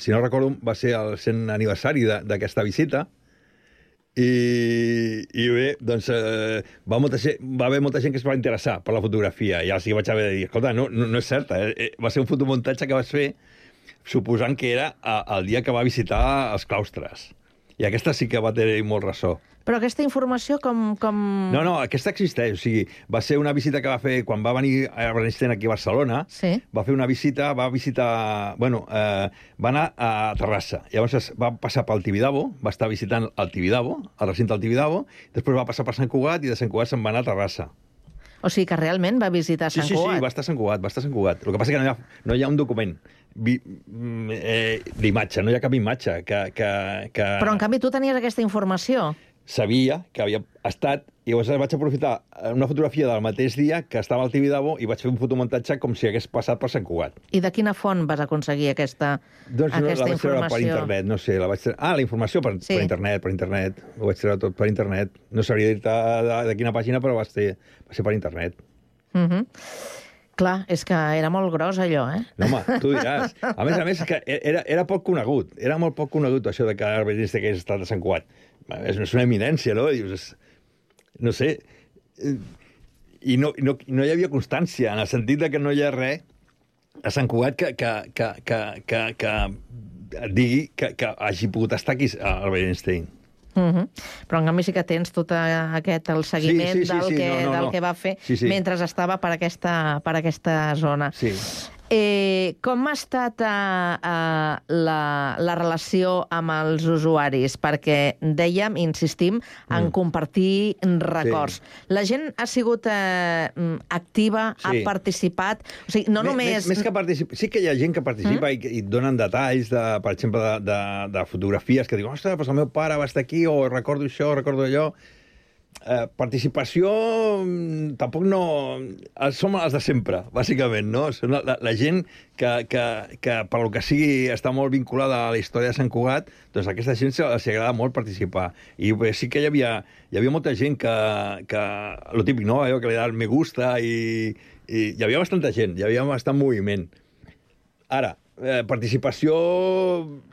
si no recordo, va ser el 100 aniversari d'aquesta visita. I bé, doncs va haver molta gent que es va interessar per la fotografia i els vaig haver de dir, escolta, no és certa, va ser un fotomuntatge que vas fer suposant que era el dia que va visitar els claustres. I aquesta sí que va tenir molt ressò. Però aquesta informació com... No, aquesta existeix. O sigui, va ser una visita que va fer quan va venir a Bernstein aquí a Barcelona. Sí. Va fer una visita, Bueno, va anar a Terrassa. Llavors va passar pel Tibidabo, va estar visitant el Tibidabo, el recinte del Tibidabo, després va passar per Sant Cugat i de Sant Cugat se'n va anar a Terrassa. O sigui que realment va visitar Sant Cugat. Sí, va estar a Sant Cugat. El que passa que no hi ha un document d'imatge, no hi ha cap imatge que... Però, en canvi, tu tenies aquesta informació. Sabia que havia estat, i llavors vaig aprofitar una fotografia del mateix dia que estava al Tibidabo i vaig fer un fotomuntatge com si hagués passat per Sant Cugat. I de quina font vas aconseguir aquesta informació? Doncs no, la vaig treure per internet, no sé. La informació per internet. Ho vaig treure tot per internet. No sabria dir-te de quina pàgina, però va ser per internet. Clar, és que era molt gros, allò, eh? No, home, tu diràs. A més, que era poc conegut. Era molt poc conegut, això de que Albert Einstein hagués estat a Sant Cugat. És una eminència, no? Dius, no sé. I no hi havia constància, en el sentit de que no hi ha res a Sant Cugat que et digui que hagi pogut estar aquí Albert Einstein. Però en canvi sí que tens tot el seguiment del que va fer mentre estava per aquesta zona. Sí. Com ha estat la relació amb els usuaris? Perquè dèiem, insistim, en compartir records. La gent ha sigut activa, ha participat? O sigui, no només... Més que participar, sí que hi ha gent que participa i donen detalls, per exemple, de fotografies que diuen, ostres, doncs el meu pare va estar aquí, o recordo això, recordo allò... Participació tampoc no... Som els de sempre, bàsicament, no? Són la gent que per lo que sigui està molt vinculada a la història de Sant Cugat, doncs a aquesta gent els agrada molt participar. I sí que hi havia molta gent que lo típic, no? Allò que li da el me gusta i hi havia bastanta gent, hi havia bastant moviment. Ara, participació,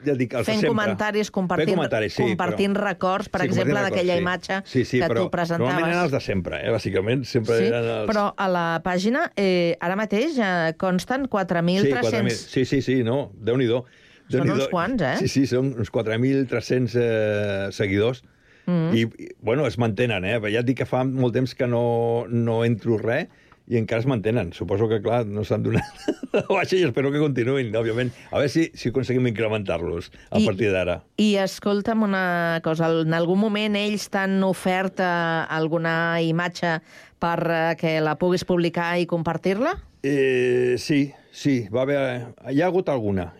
ja dic, els de sempre. Fent comentaris, compartint records, per exemple, d'aquella imatge que tu presentaves. Normalment eren els de sempre, bàsicament. Sempre eren els... Però a la pàgina, ara mateix, consten 4.300... Sí, no, Déu-n'hi-do. Són uns quants, eh? Sí, són uns 4.300 seguidors. I, bueno, es mantenen, Ja et dic que fa molt temps que no entro res, i encara es mantenen. Suposo que, clar, no s'han donat la baixa i espero que continuïn, òbviament. A veure si aconseguim incrementar-los a partir d'ara. I escolta'm una cosa, en algun moment ells t'han ofert alguna imatge per que la puguis publicar i compartir-la? Sí, hi ha hagut alguna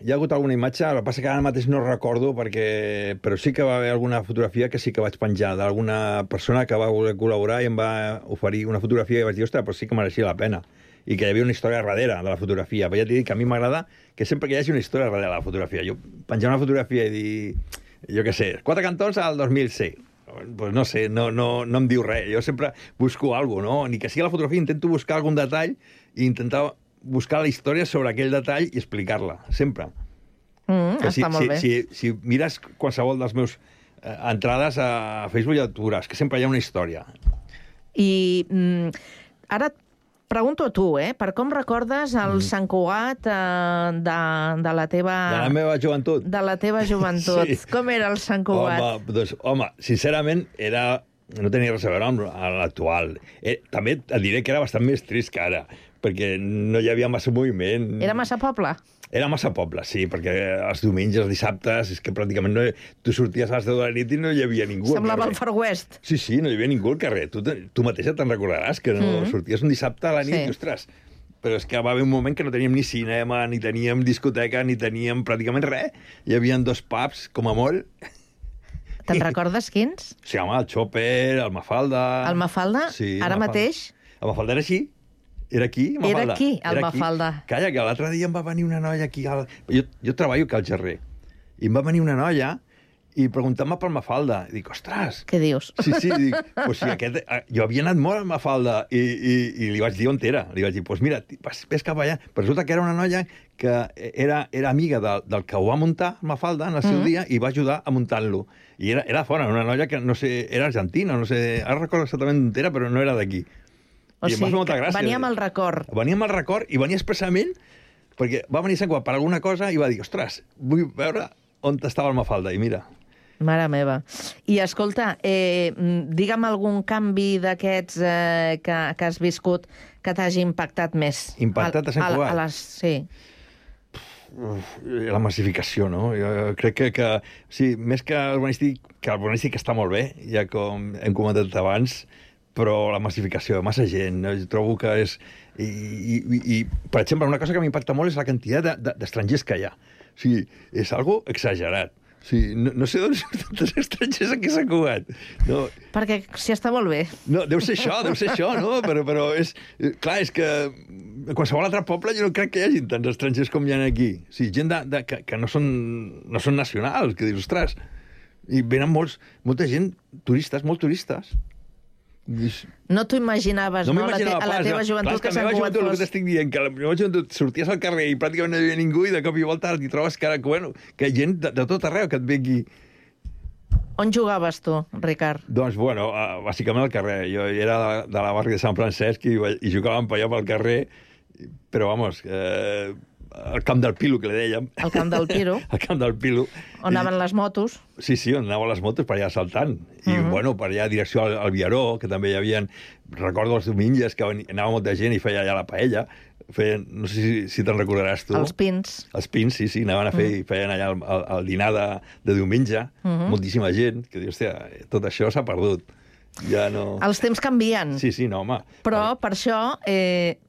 imatge, el que passa que ara mateix no recordo, però sí que va haver alguna fotografia que sí que vaig penjar d'alguna persona que va voler col·laborar i em va oferir una fotografia i vaig dir, ostres, però sí que mereixia la pena, i que hi havia una història darrere de la fotografia. Però ja t'he dit que a mi m'agrada que sempre que hi hagi una història darrere de la fotografia. Jo penjar una fotografia i dir, jo què sé, 4 cantons al 2006. Pues no sé, no em diu res. Jo sempre busco alguna cosa, no? Ni que sigui la fotografia, intento buscar algun detall i intentar buscar la història sobre aquell detall i explicar-la, sempre. Està molt bé. Si mires qualsevol dels meus entrades a Facebook ja tu veuràs que sempre hi ha una història. I ara pregunto a tu, per com recordes el Sant Cugat de la teva... De la meva joventut. De la teva joventut. Sí. Com era el Sant Cugat? Home, sincerament, no tenia res a veure amb l'actual. També et diré que era bastant més trist que ara, perquè no hi havia massa moviment. Era massa poble? Era massa poble, sí, perquè els diumenges, els dissabtes, és que pràcticament tu sorties a les 10 de la nit i no hi havia ningú. Semblava el Far West. Sí, no hi havia ningú al carrer. Tu mateixa te'n recordaràs que no sorties un dissabte a la nit i, ostres, però és que va haver un moment que no teníem ni cinema, ni teníem discoteca, ni teníem pràcticament res. Hi havia 2 pubs, com a molt. Te'n recordes quins? Sí, home, el Chopper, el Mafalda... El Mafalda? Sí, ara mateix? El Mafalda era així. Era aquí, Mafalda. Era aquí, el Mafalda. Calla, que l'altre dia em va venir una noia aquí... Jo treballo aquí al Gerrer. I em va venir una noia i preguntant-me per Mafalda. I dic, ostres... Què dius? Sí, dic, pues sí, jo havia anat molt a Mafalda i li vaig dir on era. Li vaig dir, pues mira, ves cap allà. Però resulta que era una noia que era amiga del que ho va muntar, Mafalda, en el seu dia, i va ajudar a muntar-lo. I era fora, una noia que, no sé, era argentina, no sé, ara recordo exactament on era, però no era d'aquí. O sigui, venia amb el record. Venia amb el record i venia expressament perquè va venir a Sant Cugat per alguna cosa i va dir, ostres, vull veure on estava el Mafalda, i mira. Mare meva. I escolta, digue'm algun canvi d'aquests que has viscut que t'hagi impactat més. Impactat a Sant Cugat? Sí. La massificació, no? Jo crec que sí, més que urbanístic està molt bé, ja com hem comentat abans, però la massificació, massa gent, no? Jo trobo que és... I, per exemple, una cosa que m'impacta molt és la quantitat d'estrangers que hi ha. O sigui, és algo exagerat. Sí, no sé d'on són tantes estrangers aquí a Sant Cugat. No. Perquè s'hi està molt bé. No, deu ser això, no? Però és... Clar, és que en qualsevol altre poble jo no crec que hi hagi tants estrangers com hi ha aquí. O sigui, gent que no són nacionals, que dius, ostres, i venen molta gent, turistes, molt turistes. No t'ho imaginaves, no? A la teva joventut que Sant Cugat fos... El que t'estic dient, que a la meva joventut sorties al carrer i pràcticament no hi havia ningú i de cop i volta t'hi trobes que hi ha gent de tot arreu que et ve aquí. On jugaves tu, Ricard? Doncs, bueno, bàsicament al carrer. Jo era de la barri de Sant Francesc i jugàvem per allà pel carrer, però, vamos... el camp del Pilo, que li dèiem. El camp del Pilo. El camp del Pilo. On anaven les motos. Sí, on anaven les motos per allà saltant. I, bueno, per allà direcció al Viaró, que també hi havia... Recordo els diumenges que anava molta gent i feia allà la paella. No sé si te'n recordaràs tu. Els pins. Els pins, sí, anaven a fer i feien allà el dinar de diumenge. Moltíssima gent, que diu, hòstia, tot això s'ha perdut. Ja no... Els temps canvien. Sí, no, home. Però, per això,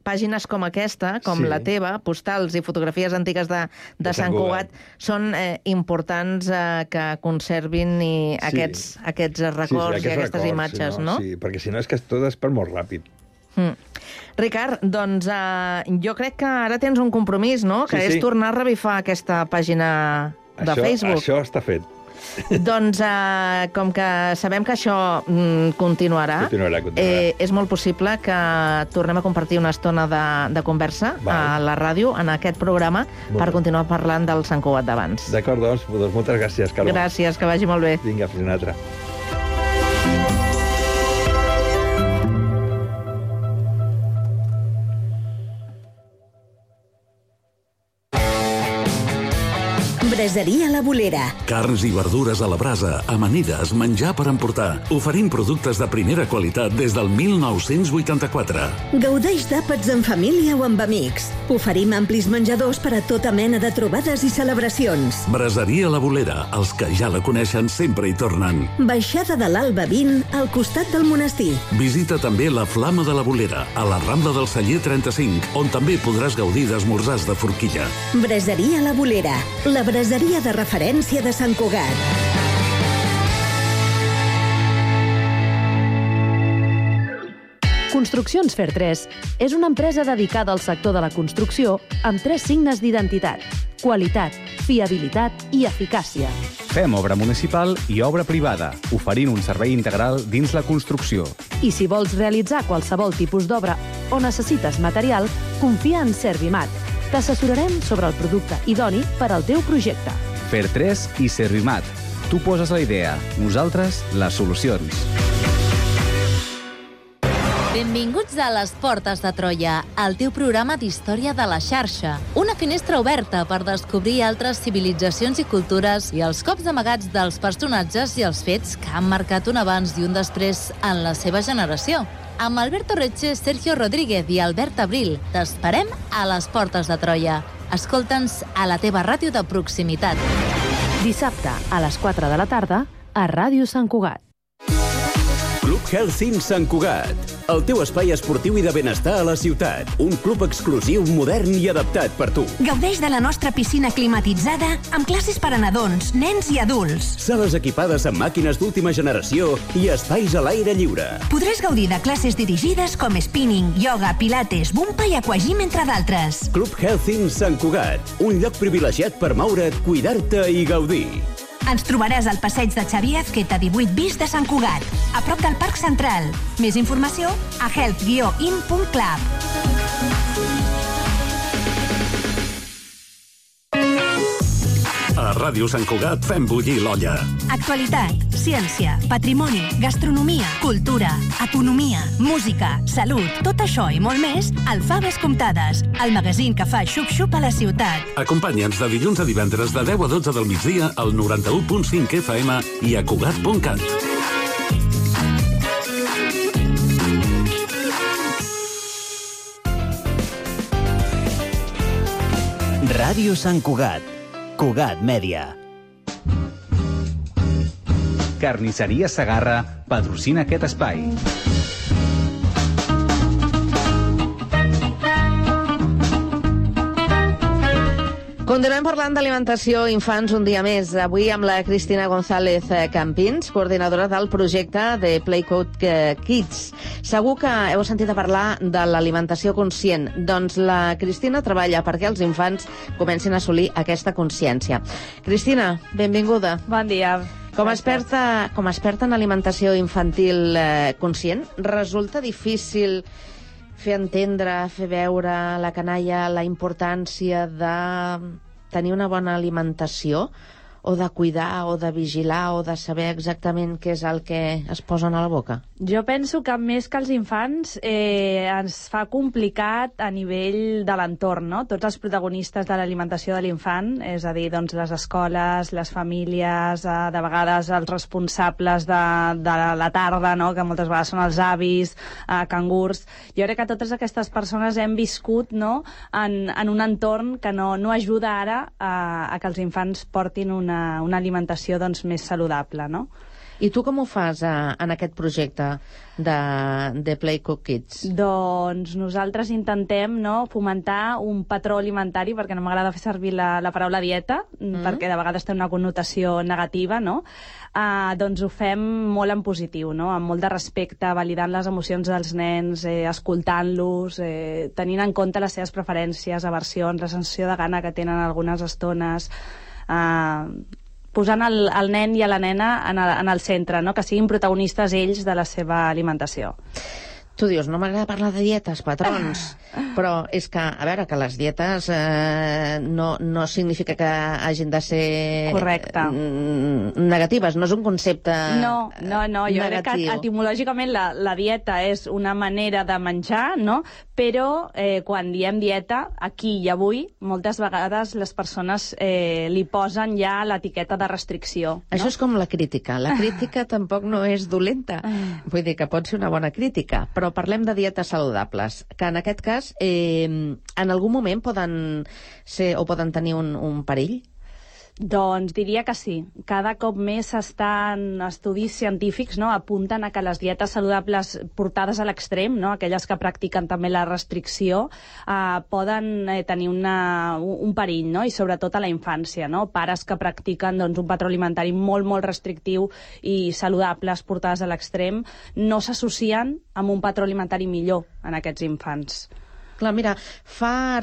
pàgines com aquesta, com la teva, postals i fotografies antigues de Sant Cugat, són importants que conservin aquests records i aquestes imatges, no? Sí, perquè si no és que tot es perd molt ràpid. Ricard, doncs jo crec que ara tens un compromís, no? Que és tornar a revifar aquesta pàgina de Facebook. Això està fet. Doncs, com que sabem que això continuarà, és molt possible que tornem a compartir una estona de conversa a la ràdio, en aquest programa, per continuar parlant del Sant Cugat d'abans. D'acord, doncs moltes gràcies, Carme. Gràcies, que vagi molt bé. Vinga, fins una altra. Braseria La Bolera. Carns i verdures a la brasa, amanides, menjar per emportar. Oferim productes de primera qualitat des del 1984. Gaudeix d'àpats en família o amb amics. Oferim amplis menjadors per a tota mena de trobades i celebracions. Braseria La Bolera. Els que ja la coneixen sempre hi tornen. Baixada de l'Alba 20, al costat del monestir. Visita també la Flama de la Bolera, a la Rambla del Celler 35, on també podràs gaudir d'esmorzars de forquilla. Braseria La Bolera. La braseria de referència de Sant Cugat. Construccions Fer 3 és una empresa dedicada al sector de la construcció amb 3 signes d'identitat: qualitat, fiabilitat i eficàcia. Fem obra municipal i obra privada, oferint un servei integral dins la construcció. I si vols realitzar qualsevol tipus d'obra o necessites material, confia en Servimat. T'assessorarem sobre el producte idoni per al teu projecte. Fer 3 i Servimat. Tu poses la idea, nosaltres les solucions. Benvinguts a Les Portes de Troia, el teu programa d'història de la xarxa. Una finestra oberta per descobrir altres civilitzacions i cultures i els cops amagats dels personatges i els fets que han marcat un abans i un després en la seva generació. Amb Alberto Reche, Sergio Rodríguez i Albert Abril, t'esperem a Les Portes de Troia. Escolta'ns a la teva ràdio de proximitat. Dissabte a les 4 de la tarda a Ràdio Sant Cugat. Club Healthing Sant Cugat, el teu espai esportiu i de benestar a la ciutat. Un club exclusiu, modern i adaptat per tu. Gaudeix de la nostra piscina climatitzada amb classes per a nadons, nens i adults. Sales equipades amb màquines d'última generació i espais a l'aire lliure. Podràs gaudir de classes dirigides com spinning, yoga, pilates, bumpa i aquagym, entre d'altres. Club Healthing Sant Cugat, un lloc privilegiat per moure't, cuidar-te i gaudir. Ens trobaràs al passeig de Xavier Azqueta 18 bis de Sant Cugat, a prop del Parc Central. Més informació a health-in.club. A Ràdio Sant Cugat fem bullir l'olla. Actualitat, ciència, patrimoni, gastronomia, cultura, economia, música, salut, tot això i molt més al Faves Comptades, el magazín que fa xup-xup a la ciutat. Acompanya'ns de dilluns a divendres de 10 a 12 del migdia al 91.5 FM i a Cugat.cat. Ràdio Sant Cugat. Cugat Mèdia. Carnisseria Segarra patrocina aquest espai. Continuem parlant d'alimentació infants un dia més. Avui amb la Cristina González Campins, coordinadora del projecte de Playcode Kids. Segur que heu sentit a parlar de l'alimentació conscient. Doncs la Cristina treballa perquè els infants comencin a assolir aquesta consciència. Cristina, benvinguda. Bon dia. Com a experta en alimentació infantil conscient, resulta difícil fer entendre, fer veure a la canalla la importància de tenir una bona alimentació, o de cuidar, o de vigilar, o de saber exactament què és el que es posen a la boca? Jo penso que més que els infants ens fa complicat a nivell de l'entorn, no? Tots els protagonistes de l'alimentació de l'infant, és a dir, doncs, les escoles, les famílies, de vegades els responsables de la tarda, no? Que moltes vegades són els avis, cangurs. Jo crec que totes aquestes persones hem viscut, no? en un entorn que no ajuda ara a que els infants portin una alimentació doncs, més saludable, no? I tu com ho fas en aquest projecte de Playcode Kids? Doncs nosaltres intentem fomentar un patró alimentari, perquè no m'agrada fer servir la paraula dieta, perquè de vegades té una connotació negativa, no? Doncs ho fem molt en positiu, no? Amb molt de respecte, validant les emocions dels nens, escoltant-los, tenint en compte les seves preferències, aversions, la sensació de gana que tenen algunes estones, posant el nen i a la nena en el centre, no? Que siguin protagonistes ells de la seva alimentació. Tu dius, no m'agrada parlar de dietes, patrons, però és que, a veure, que les dietes no significa que hagin de ser negatives, no és un concepte No, jo crec que etimològicament la dieta és una manera de menjar, no? Però quan diem dieta, aquí i avui, moltes vegades les persones li posen ja l'etiqueta de restricció. Això és com la crítica tampoc no és dolenta, vull dir que pot ser una bona crítica, però parlem de dietes saludables, que en aquest cas en algun moment poden ser o poden tenir un perill? Doncs diria que sí. Cada cop més estudis científics apunten a que les dietes saludables portades a l'extrem, aquelles que practiquen també la restricció, poden tenir un perill, i sobretot a la infància. Pares que practiquen un patró alimentari molt, molt restrictiu i saludables portades a l'extrem no s'associen amb un patró alimentari millor en aquests infants. Clar, mira, fa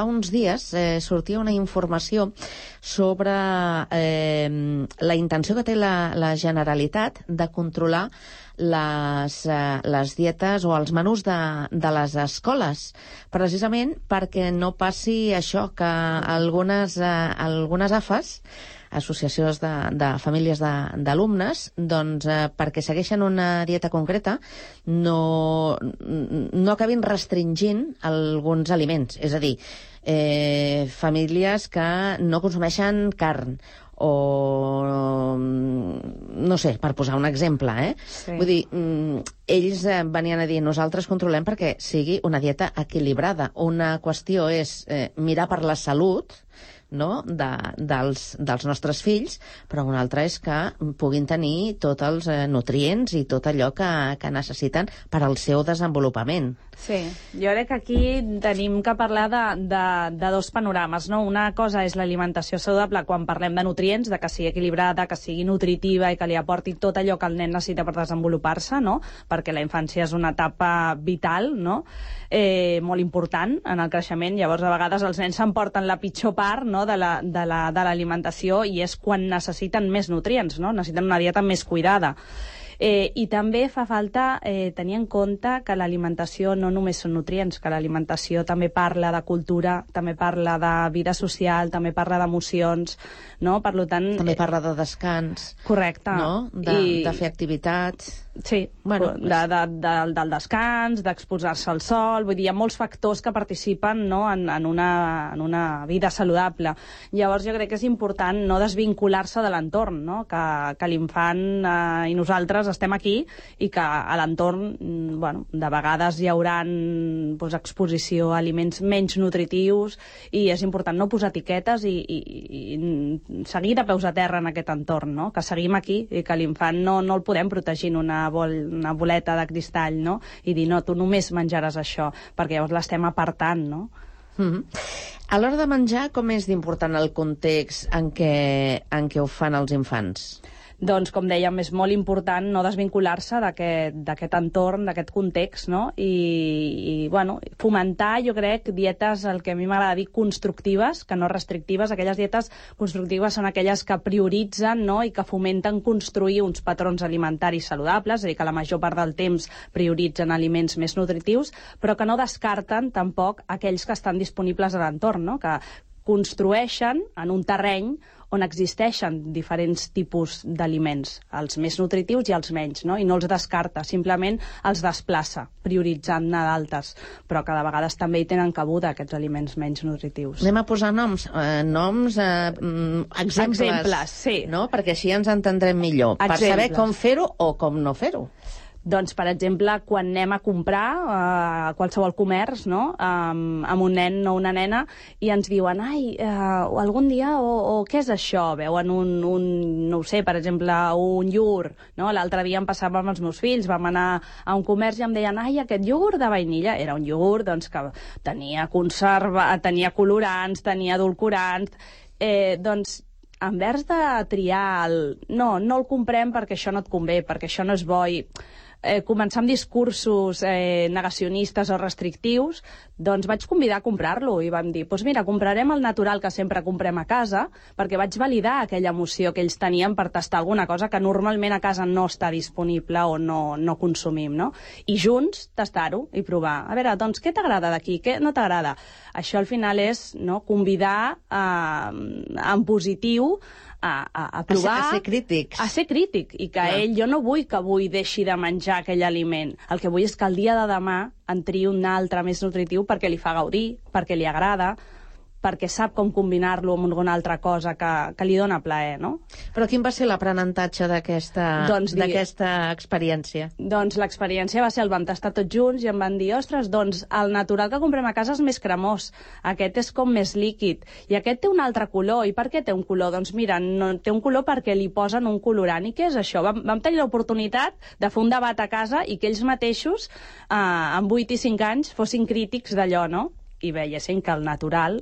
uns dies sortia una informació sobre la intenció que té la Generalitat de controlar les dietes o els menús de les escoles, precisament perquè no passi això, que algunes AFAs, associacions de famílies d'alumnes, doncs perquè segueixen una dieta concreta no acabin restringint alguns aliments. És a dir, famílies que no consumeixen carn o no sé, per posar un exemple, Sí. Vull dir, ells venien a dir, nosaltres controlem perquè sigui una dieta equilibrada. Una qüestió és mirar per la salut, no? dels nostres fills, però una altra és que puguin tenir tots els nutrients i tot allò que necessiten per al seu desenvolupament. Sí, jo crec que aquí tenim que parlar de dos panorames, no? Una cosa és l'alimentació saludable quan parlem de nutrients, de que sigui equilibrada, que sigui nutritiva i que li aporti tot allò que el nen necessita per desenvolupar-se, no? Perquè la infància és una etapa vital, no? Molt important en el creixement. Llavors, a vegades els nens s'emporten la pitjor part, no? no, de l'alimentació, i és quan necessiten més nutrients, no? Necessiten una dieta més cuidada. I també fa falta tenir en compte que l'alimentació no només són nutrients, que l'alimentació també parla de cultura, també parla de vida social, també parla d'emocions, no? Per tant, també parla de descans. Correcte. No? De fer activitats. Sí, bueno, del descans, d'exposar-se al sol, vull dir, hi ha molts factors que participen, no, en una vida saludable. Llavors jo crec que és important no desvincular-se de l'entorn, no? Que l'infant i nosaltres estem aquí i que a l'entorn, bueno, de vegades hi haurà exposició a aliments menys nutritius, i és important no posar etiquetes i seguir de peus a terra en aquest entorn, no? Que seguim aquí i que l'infant no el podem protegir en una boleta de cristall, no? I dir, no, tu només menjaràs això, perquè llavors l'estem apartant, no? A l'hora de menjar, com és d'important el context en què ho fan els infants? Doncs, com dèiem, és molt important no desvincular-se d'aquest entorn, d'aquest context, no? I bueno, fomentar, jo crec, dietes, el que a mi m'agrada dir, constructives, que no restrictives. Aquelles dietes constructives són aquelles que prioritzen, no?, i que fomenten construir uns patrons alimentaris saludables, és a dir, que la major part del temps prioritzen aliments més nutritius, però que no descarten tampoc aquells que estan disponibles a l'entorn, no?, que construeixen en un terreny on existeixen diferents tipus d'aliments, els més nutritius i els menys, no? I no els descarta, simplement els desplaça, prioritzant-ne d'altres, però que de vegades també hi tenen cabuda aquests aliments menys nutritius. Anem a posar noms, exemples, sí. No? Perquè així ens entendrem millor, per saber com fer-ho o com no fer-ho. Doncs, per exemple, quan anem a comprar a qualsevol comerç, no?, amb un nen o una nena, i ens diuen, algun dia, o què és això? Veuen no ho sé, per exemple, un iogurt, no? L'altre dia em passava amb els meus fills, vam anar a un comerç i em deien, aquest iogurt de vainilla, era un iogurt, doncs, que tenia tenia colorants, tenia edulcorants, doncs, en vers de triar no el comprem perquè això no et convé, perquè això no és bo, i començar amb discursos negacionistes o restrictius, doncs vaig convidar a comprar-lo i vam dir, doncs mira, comprarem el natural que sempre comprem a casa, perquè vaig validar aquella emoció que ells tenien per tastar alguna cosa que normalment a casa no està disponible o no consumim, no? I junts tastar-ho i provar. A veure, doncs, què t'agrada d'aquí? Què no t'agrada? Això al final és, no, convidar en positiu a provar... A ser crítics. A ser crític, i que jo no vull que avui deixi de menjar aquell aliment. El que vull és que el dia de demà en triï un altre més nutritiu perquè li fa gaudir, perquè li agrada, perquè sap com combinar-lo amb alguna altra cosa que li dona plaer, no? Però quin va ser l'aprenentatge d'aquesta experiència? Doncs l'experiència va ser, el vam tastar tots junts i em van dir, ostres, doncs el natural que comprem a casa és més cremós, aquest és com més líquid, i aquest té un altre color. I per què té un color? Doncs mira, té un color perquè li posen un colorant. I què és això? Vam tenir l'oportunitat de fer un debat a casa i que ells mateixos, amb 8 i 5 anys, fossin crítics d'allò, no? I veiessin que el natural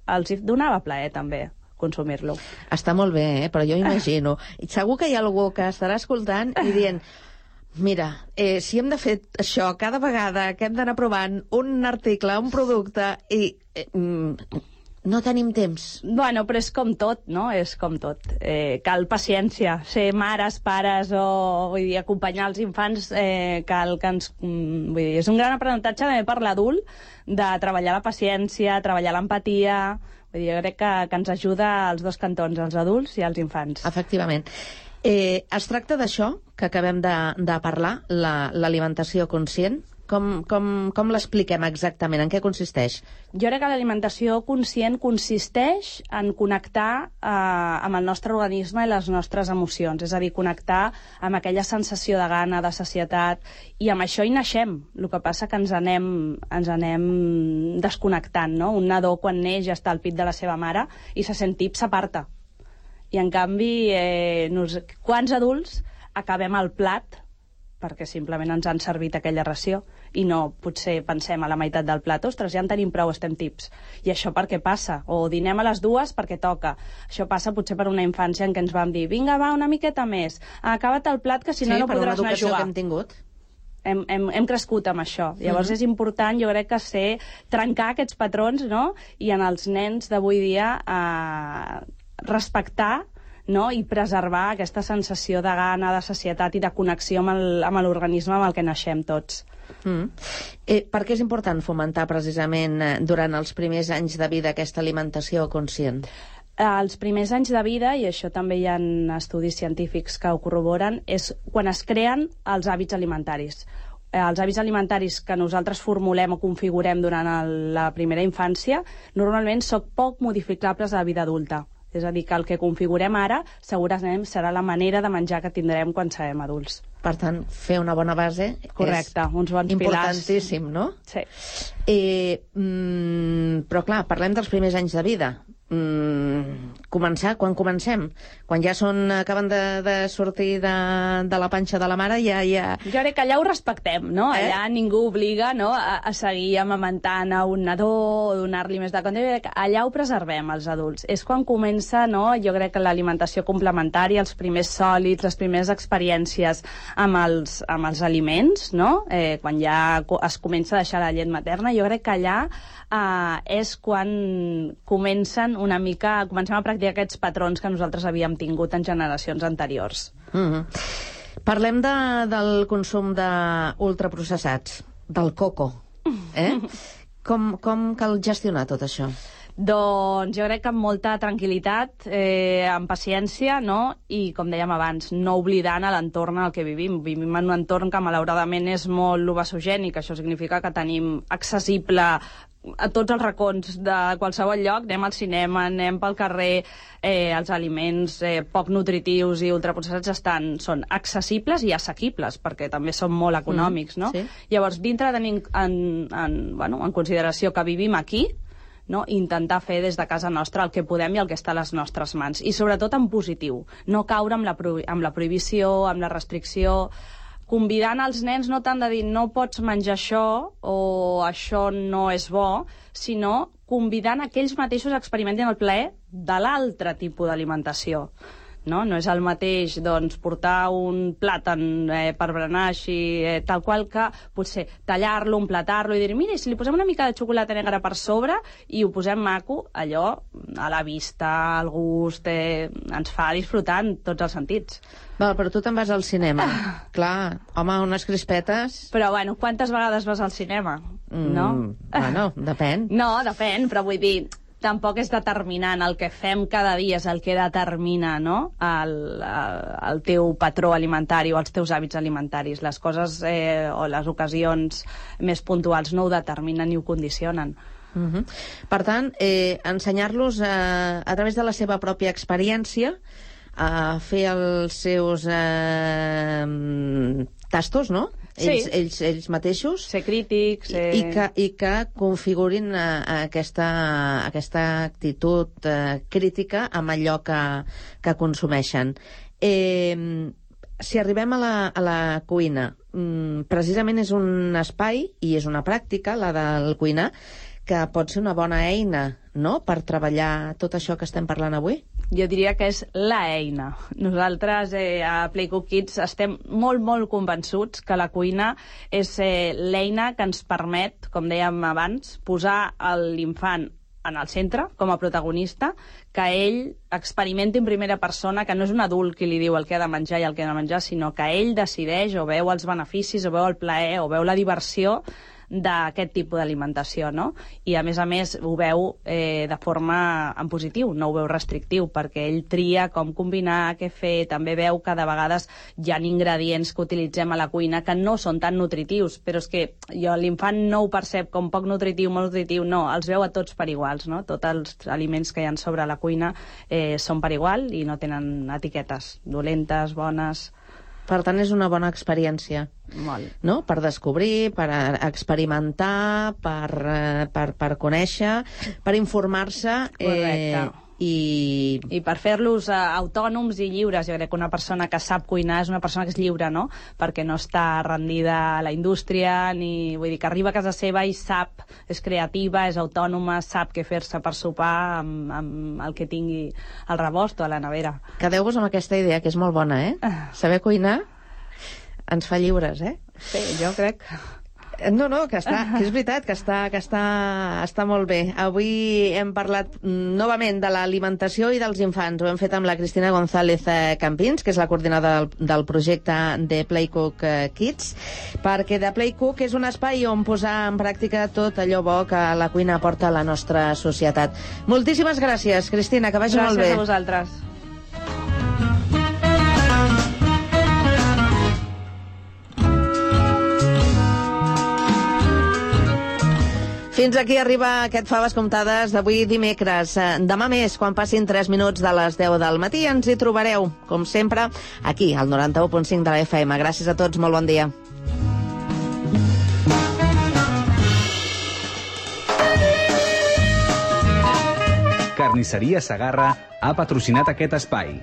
els donava plaer també consumir-lo. Està molt bé, però jo imagino. I segur que hi ha algú que estarà escoltant i dient, mira, si hem de fer això cada vegada que hem d'anar provant un article, un producte, i no tenim temps. Bueno, però és com tot, no? És com tot. Cal paciència. Ser mares, pares o, vull dir, acompanyar els infants, cal que ens... Vull dir, és un gran aprenentatge també per l'adult de treballar la paciència, treballar l'empatia. Vull dir, jo crec que ens ajuda als dos cantons, als adults i als infants. Efectivament. Es tracta d'això que acabem de parlar, l'alimentació conscient. Com l'expliquem exactament? En què consisteix? Jo crec que l'alimentació conscient consisteix en connectar amb el nostre organisme i les nostres emocions, és a dir, connectar amb aquella sensació de gana, de sacietat, i amb això hi naixem. El que passa que ens anem desconnectant, no? Un nadó, quan neix, ja està al pit de la seva mare i se sent tip, s'aparta. I, en canvi, quants adults acabem al plat perquè simplement ens han servit aquella ració i no potser pensem a la meitat del plat, ostres, ja en tenim prou, estem tips. I això per què passa? O dinem a les 2 perquè toca. Això passa potser per una infància en què ens vam dir, vinga, va, una miqueta més, acaba't el plat que si no no podràs anar a jugar. Sí, per una educació que hem tingut. hem crescut amb això. Llavors és important, jo crec que trencar aquests patrons, no? I en els nens d'avui dia respectar, no? I preservar aquesta sensació de gana, de sacietat i de connexió amb l'organisme amb el que naixem tots. Per què és important fomentar precisament durant els primers anys de vida aquesta alimentació conscient? Els primers anys de vida, i això també hi ha estudis científics que ho corroboren, és quan es creen els hàbits alimentaris. Els hàbits alimentaris que nosaltres formulem o configurem durant la primera infància normalment són poc modificables a la vida adulta. És a dir, que el que configurem ara segurament serà la manera de menjar que tindrem quan serem adults. Per tant, fer una bona base correcte, uns bons importantíssim, no? Sí. Però clar, parlem dels primers anys de vida. Quan comencem? Quan ja acaben de sortir de la panxa de la mare, ja... Jo crec que allà ho respectem, no? Allà ningú obliga, no, a seguir amamentant a un nadó o donar-li més de compte. Allà ho preservem, els adults. És quan comença, no, jo crec que l'alimentació complementària, els primers sòlids, les primeres experiències amb els aliments, no? Quan ja es comença a deixar la llet materna, jo crec que allà és quan comencem a practicar aquests patrons que nosaltres havíem tingut en generacions anteriors. Parlem del consum d'ultraprocessats, del coco. Com cal gestionar tot això? Doncs jo crec que amb molta tranquil·litat, amb paciència, no? I, com dèiem abans, no oblidant l'entorn en el que vivim. Vivim en un entorn que, malauradament, és molt obesogènic. Això significa que tenim accessible a tots els racons de qualsevol lloc, anem al cinema, anem pel carrer, els aliments poc nutritius i ultraprocessats són accessibles i assequibles, perquè també són molt econòmics, no? Llavors, dintre de tenir en consideració que vivim aquí, no? Intentar fer des de casa nostra el que podem i el que està a les nostres mans. I sobretot en positiu, no caure amb la prohibició, amb la restricció, convidant els nens no tant de dir no pots menjar això o això no és bo, sinó convidant que ells mateixos experimentin el plaer de l'altre tipus d'alimentació. No és el mateix portar un plàtan per berenar així, tal qual, que potser tallar-lo, emplatar-lo i dir, mira, si li posem una mica de xocolata negra per sobre i ho posem maco, allò a la vista, al gust, ens fa disfrutar en tots els sentits. Però tu te'n vas al cinema. Clar, home, unes crispetes... Però, quantes vegades vas al cinema? No? Bueno, depèn. No, depèn, però vull dir... Tampoc és determinant. El que fem cada dia és el que determina, no? el teu patró alimentari o els teus hàbits alimentaris. Les coses o les ocasions més puntuals no ho determinen ni ho condicionen. Per tant, ensenyar-los a través de la seva pròpia experiència a fer els seus tastos, no? Ells mateixos. Ser crítics. I que configurin aquesta actitud crítica amb allò que consumeixen. Si arribem a la cuina, precisament és un espai i és una pràctica, la del cuinar, que pot ser una bona eina, no?, per treballar tot això que estem parlant avui. Jo diria que és la eina. Nosaltres a Play Cook Kids estem molt, molt convençuts que la cuina és l'eina que ens permet, com dèiem abans, posar l'infant en el centre, com a protagonista, que ell experimenti en primera persona, que no és un adult qui li diu el que ha de menjar i el que ha de menjar, sinó que ell decideix o veu els beneficis, o veu el plaer, o veu la diversió d'aquest tipus d'alimentació, no? I a més ho veu de forma en positiu, no ho veu restrictiu, perquè ell tria com combinar, què fer, també veu que de vegades hi ha ingredients que utilitzem a la cuina que no són tan nutritius, però és que l'infant no ho percep com poc nutritiu, molt nutritiu, no, els veu a tots per iguals, no? Tots els aliments que hi ha sobre la cuina són per igual i no tenen etiquetes dolentes, bones. Per tant, és una bona experiència. Molt. No? Per descobrir, per experimentar, per conèixer, per informar-se. Correcte. I per fer-los autònoms i lliures. Jo crec que una persona que sap cuinar és una persona que és lliure, no? Perquè no està rendida a la indústria, vull dir que arriba a casa seva i sap, és creativa, és autònoma, sap què fer-se per sopar amb el que tingui al rebost o a la nevera. Quedeu-vos amb aquesta idea, que és molt bona, Saber cuinar ens fa lliures, eh? Sí, jo crec. No, que és veritat, que està molt bé. Avui hem parlat novament de l'alimentació i dels infants. Ho hem fet amb la Cristina González Campins, que és la coordinadora del projecte de Playcook Kids, perquè de Playcook és un espai on posar en pràctica tot allò bo que la cuina aporta a la nostra societat. Moltíssimes gràcies, Cristina, que vagi molt bé. Gràcies a vosaltres. Fins aquí arriba aquest Faves Comptades d'avui dimecres. Demà més, quan passin 3 minuts de les 10 del matí, ens hi trobareu, com sempre, aquí, al 91.5 de la FM. Gràcies a tots, molt bon dia. Carnisseria Segarra ha patrocinat aquest espai.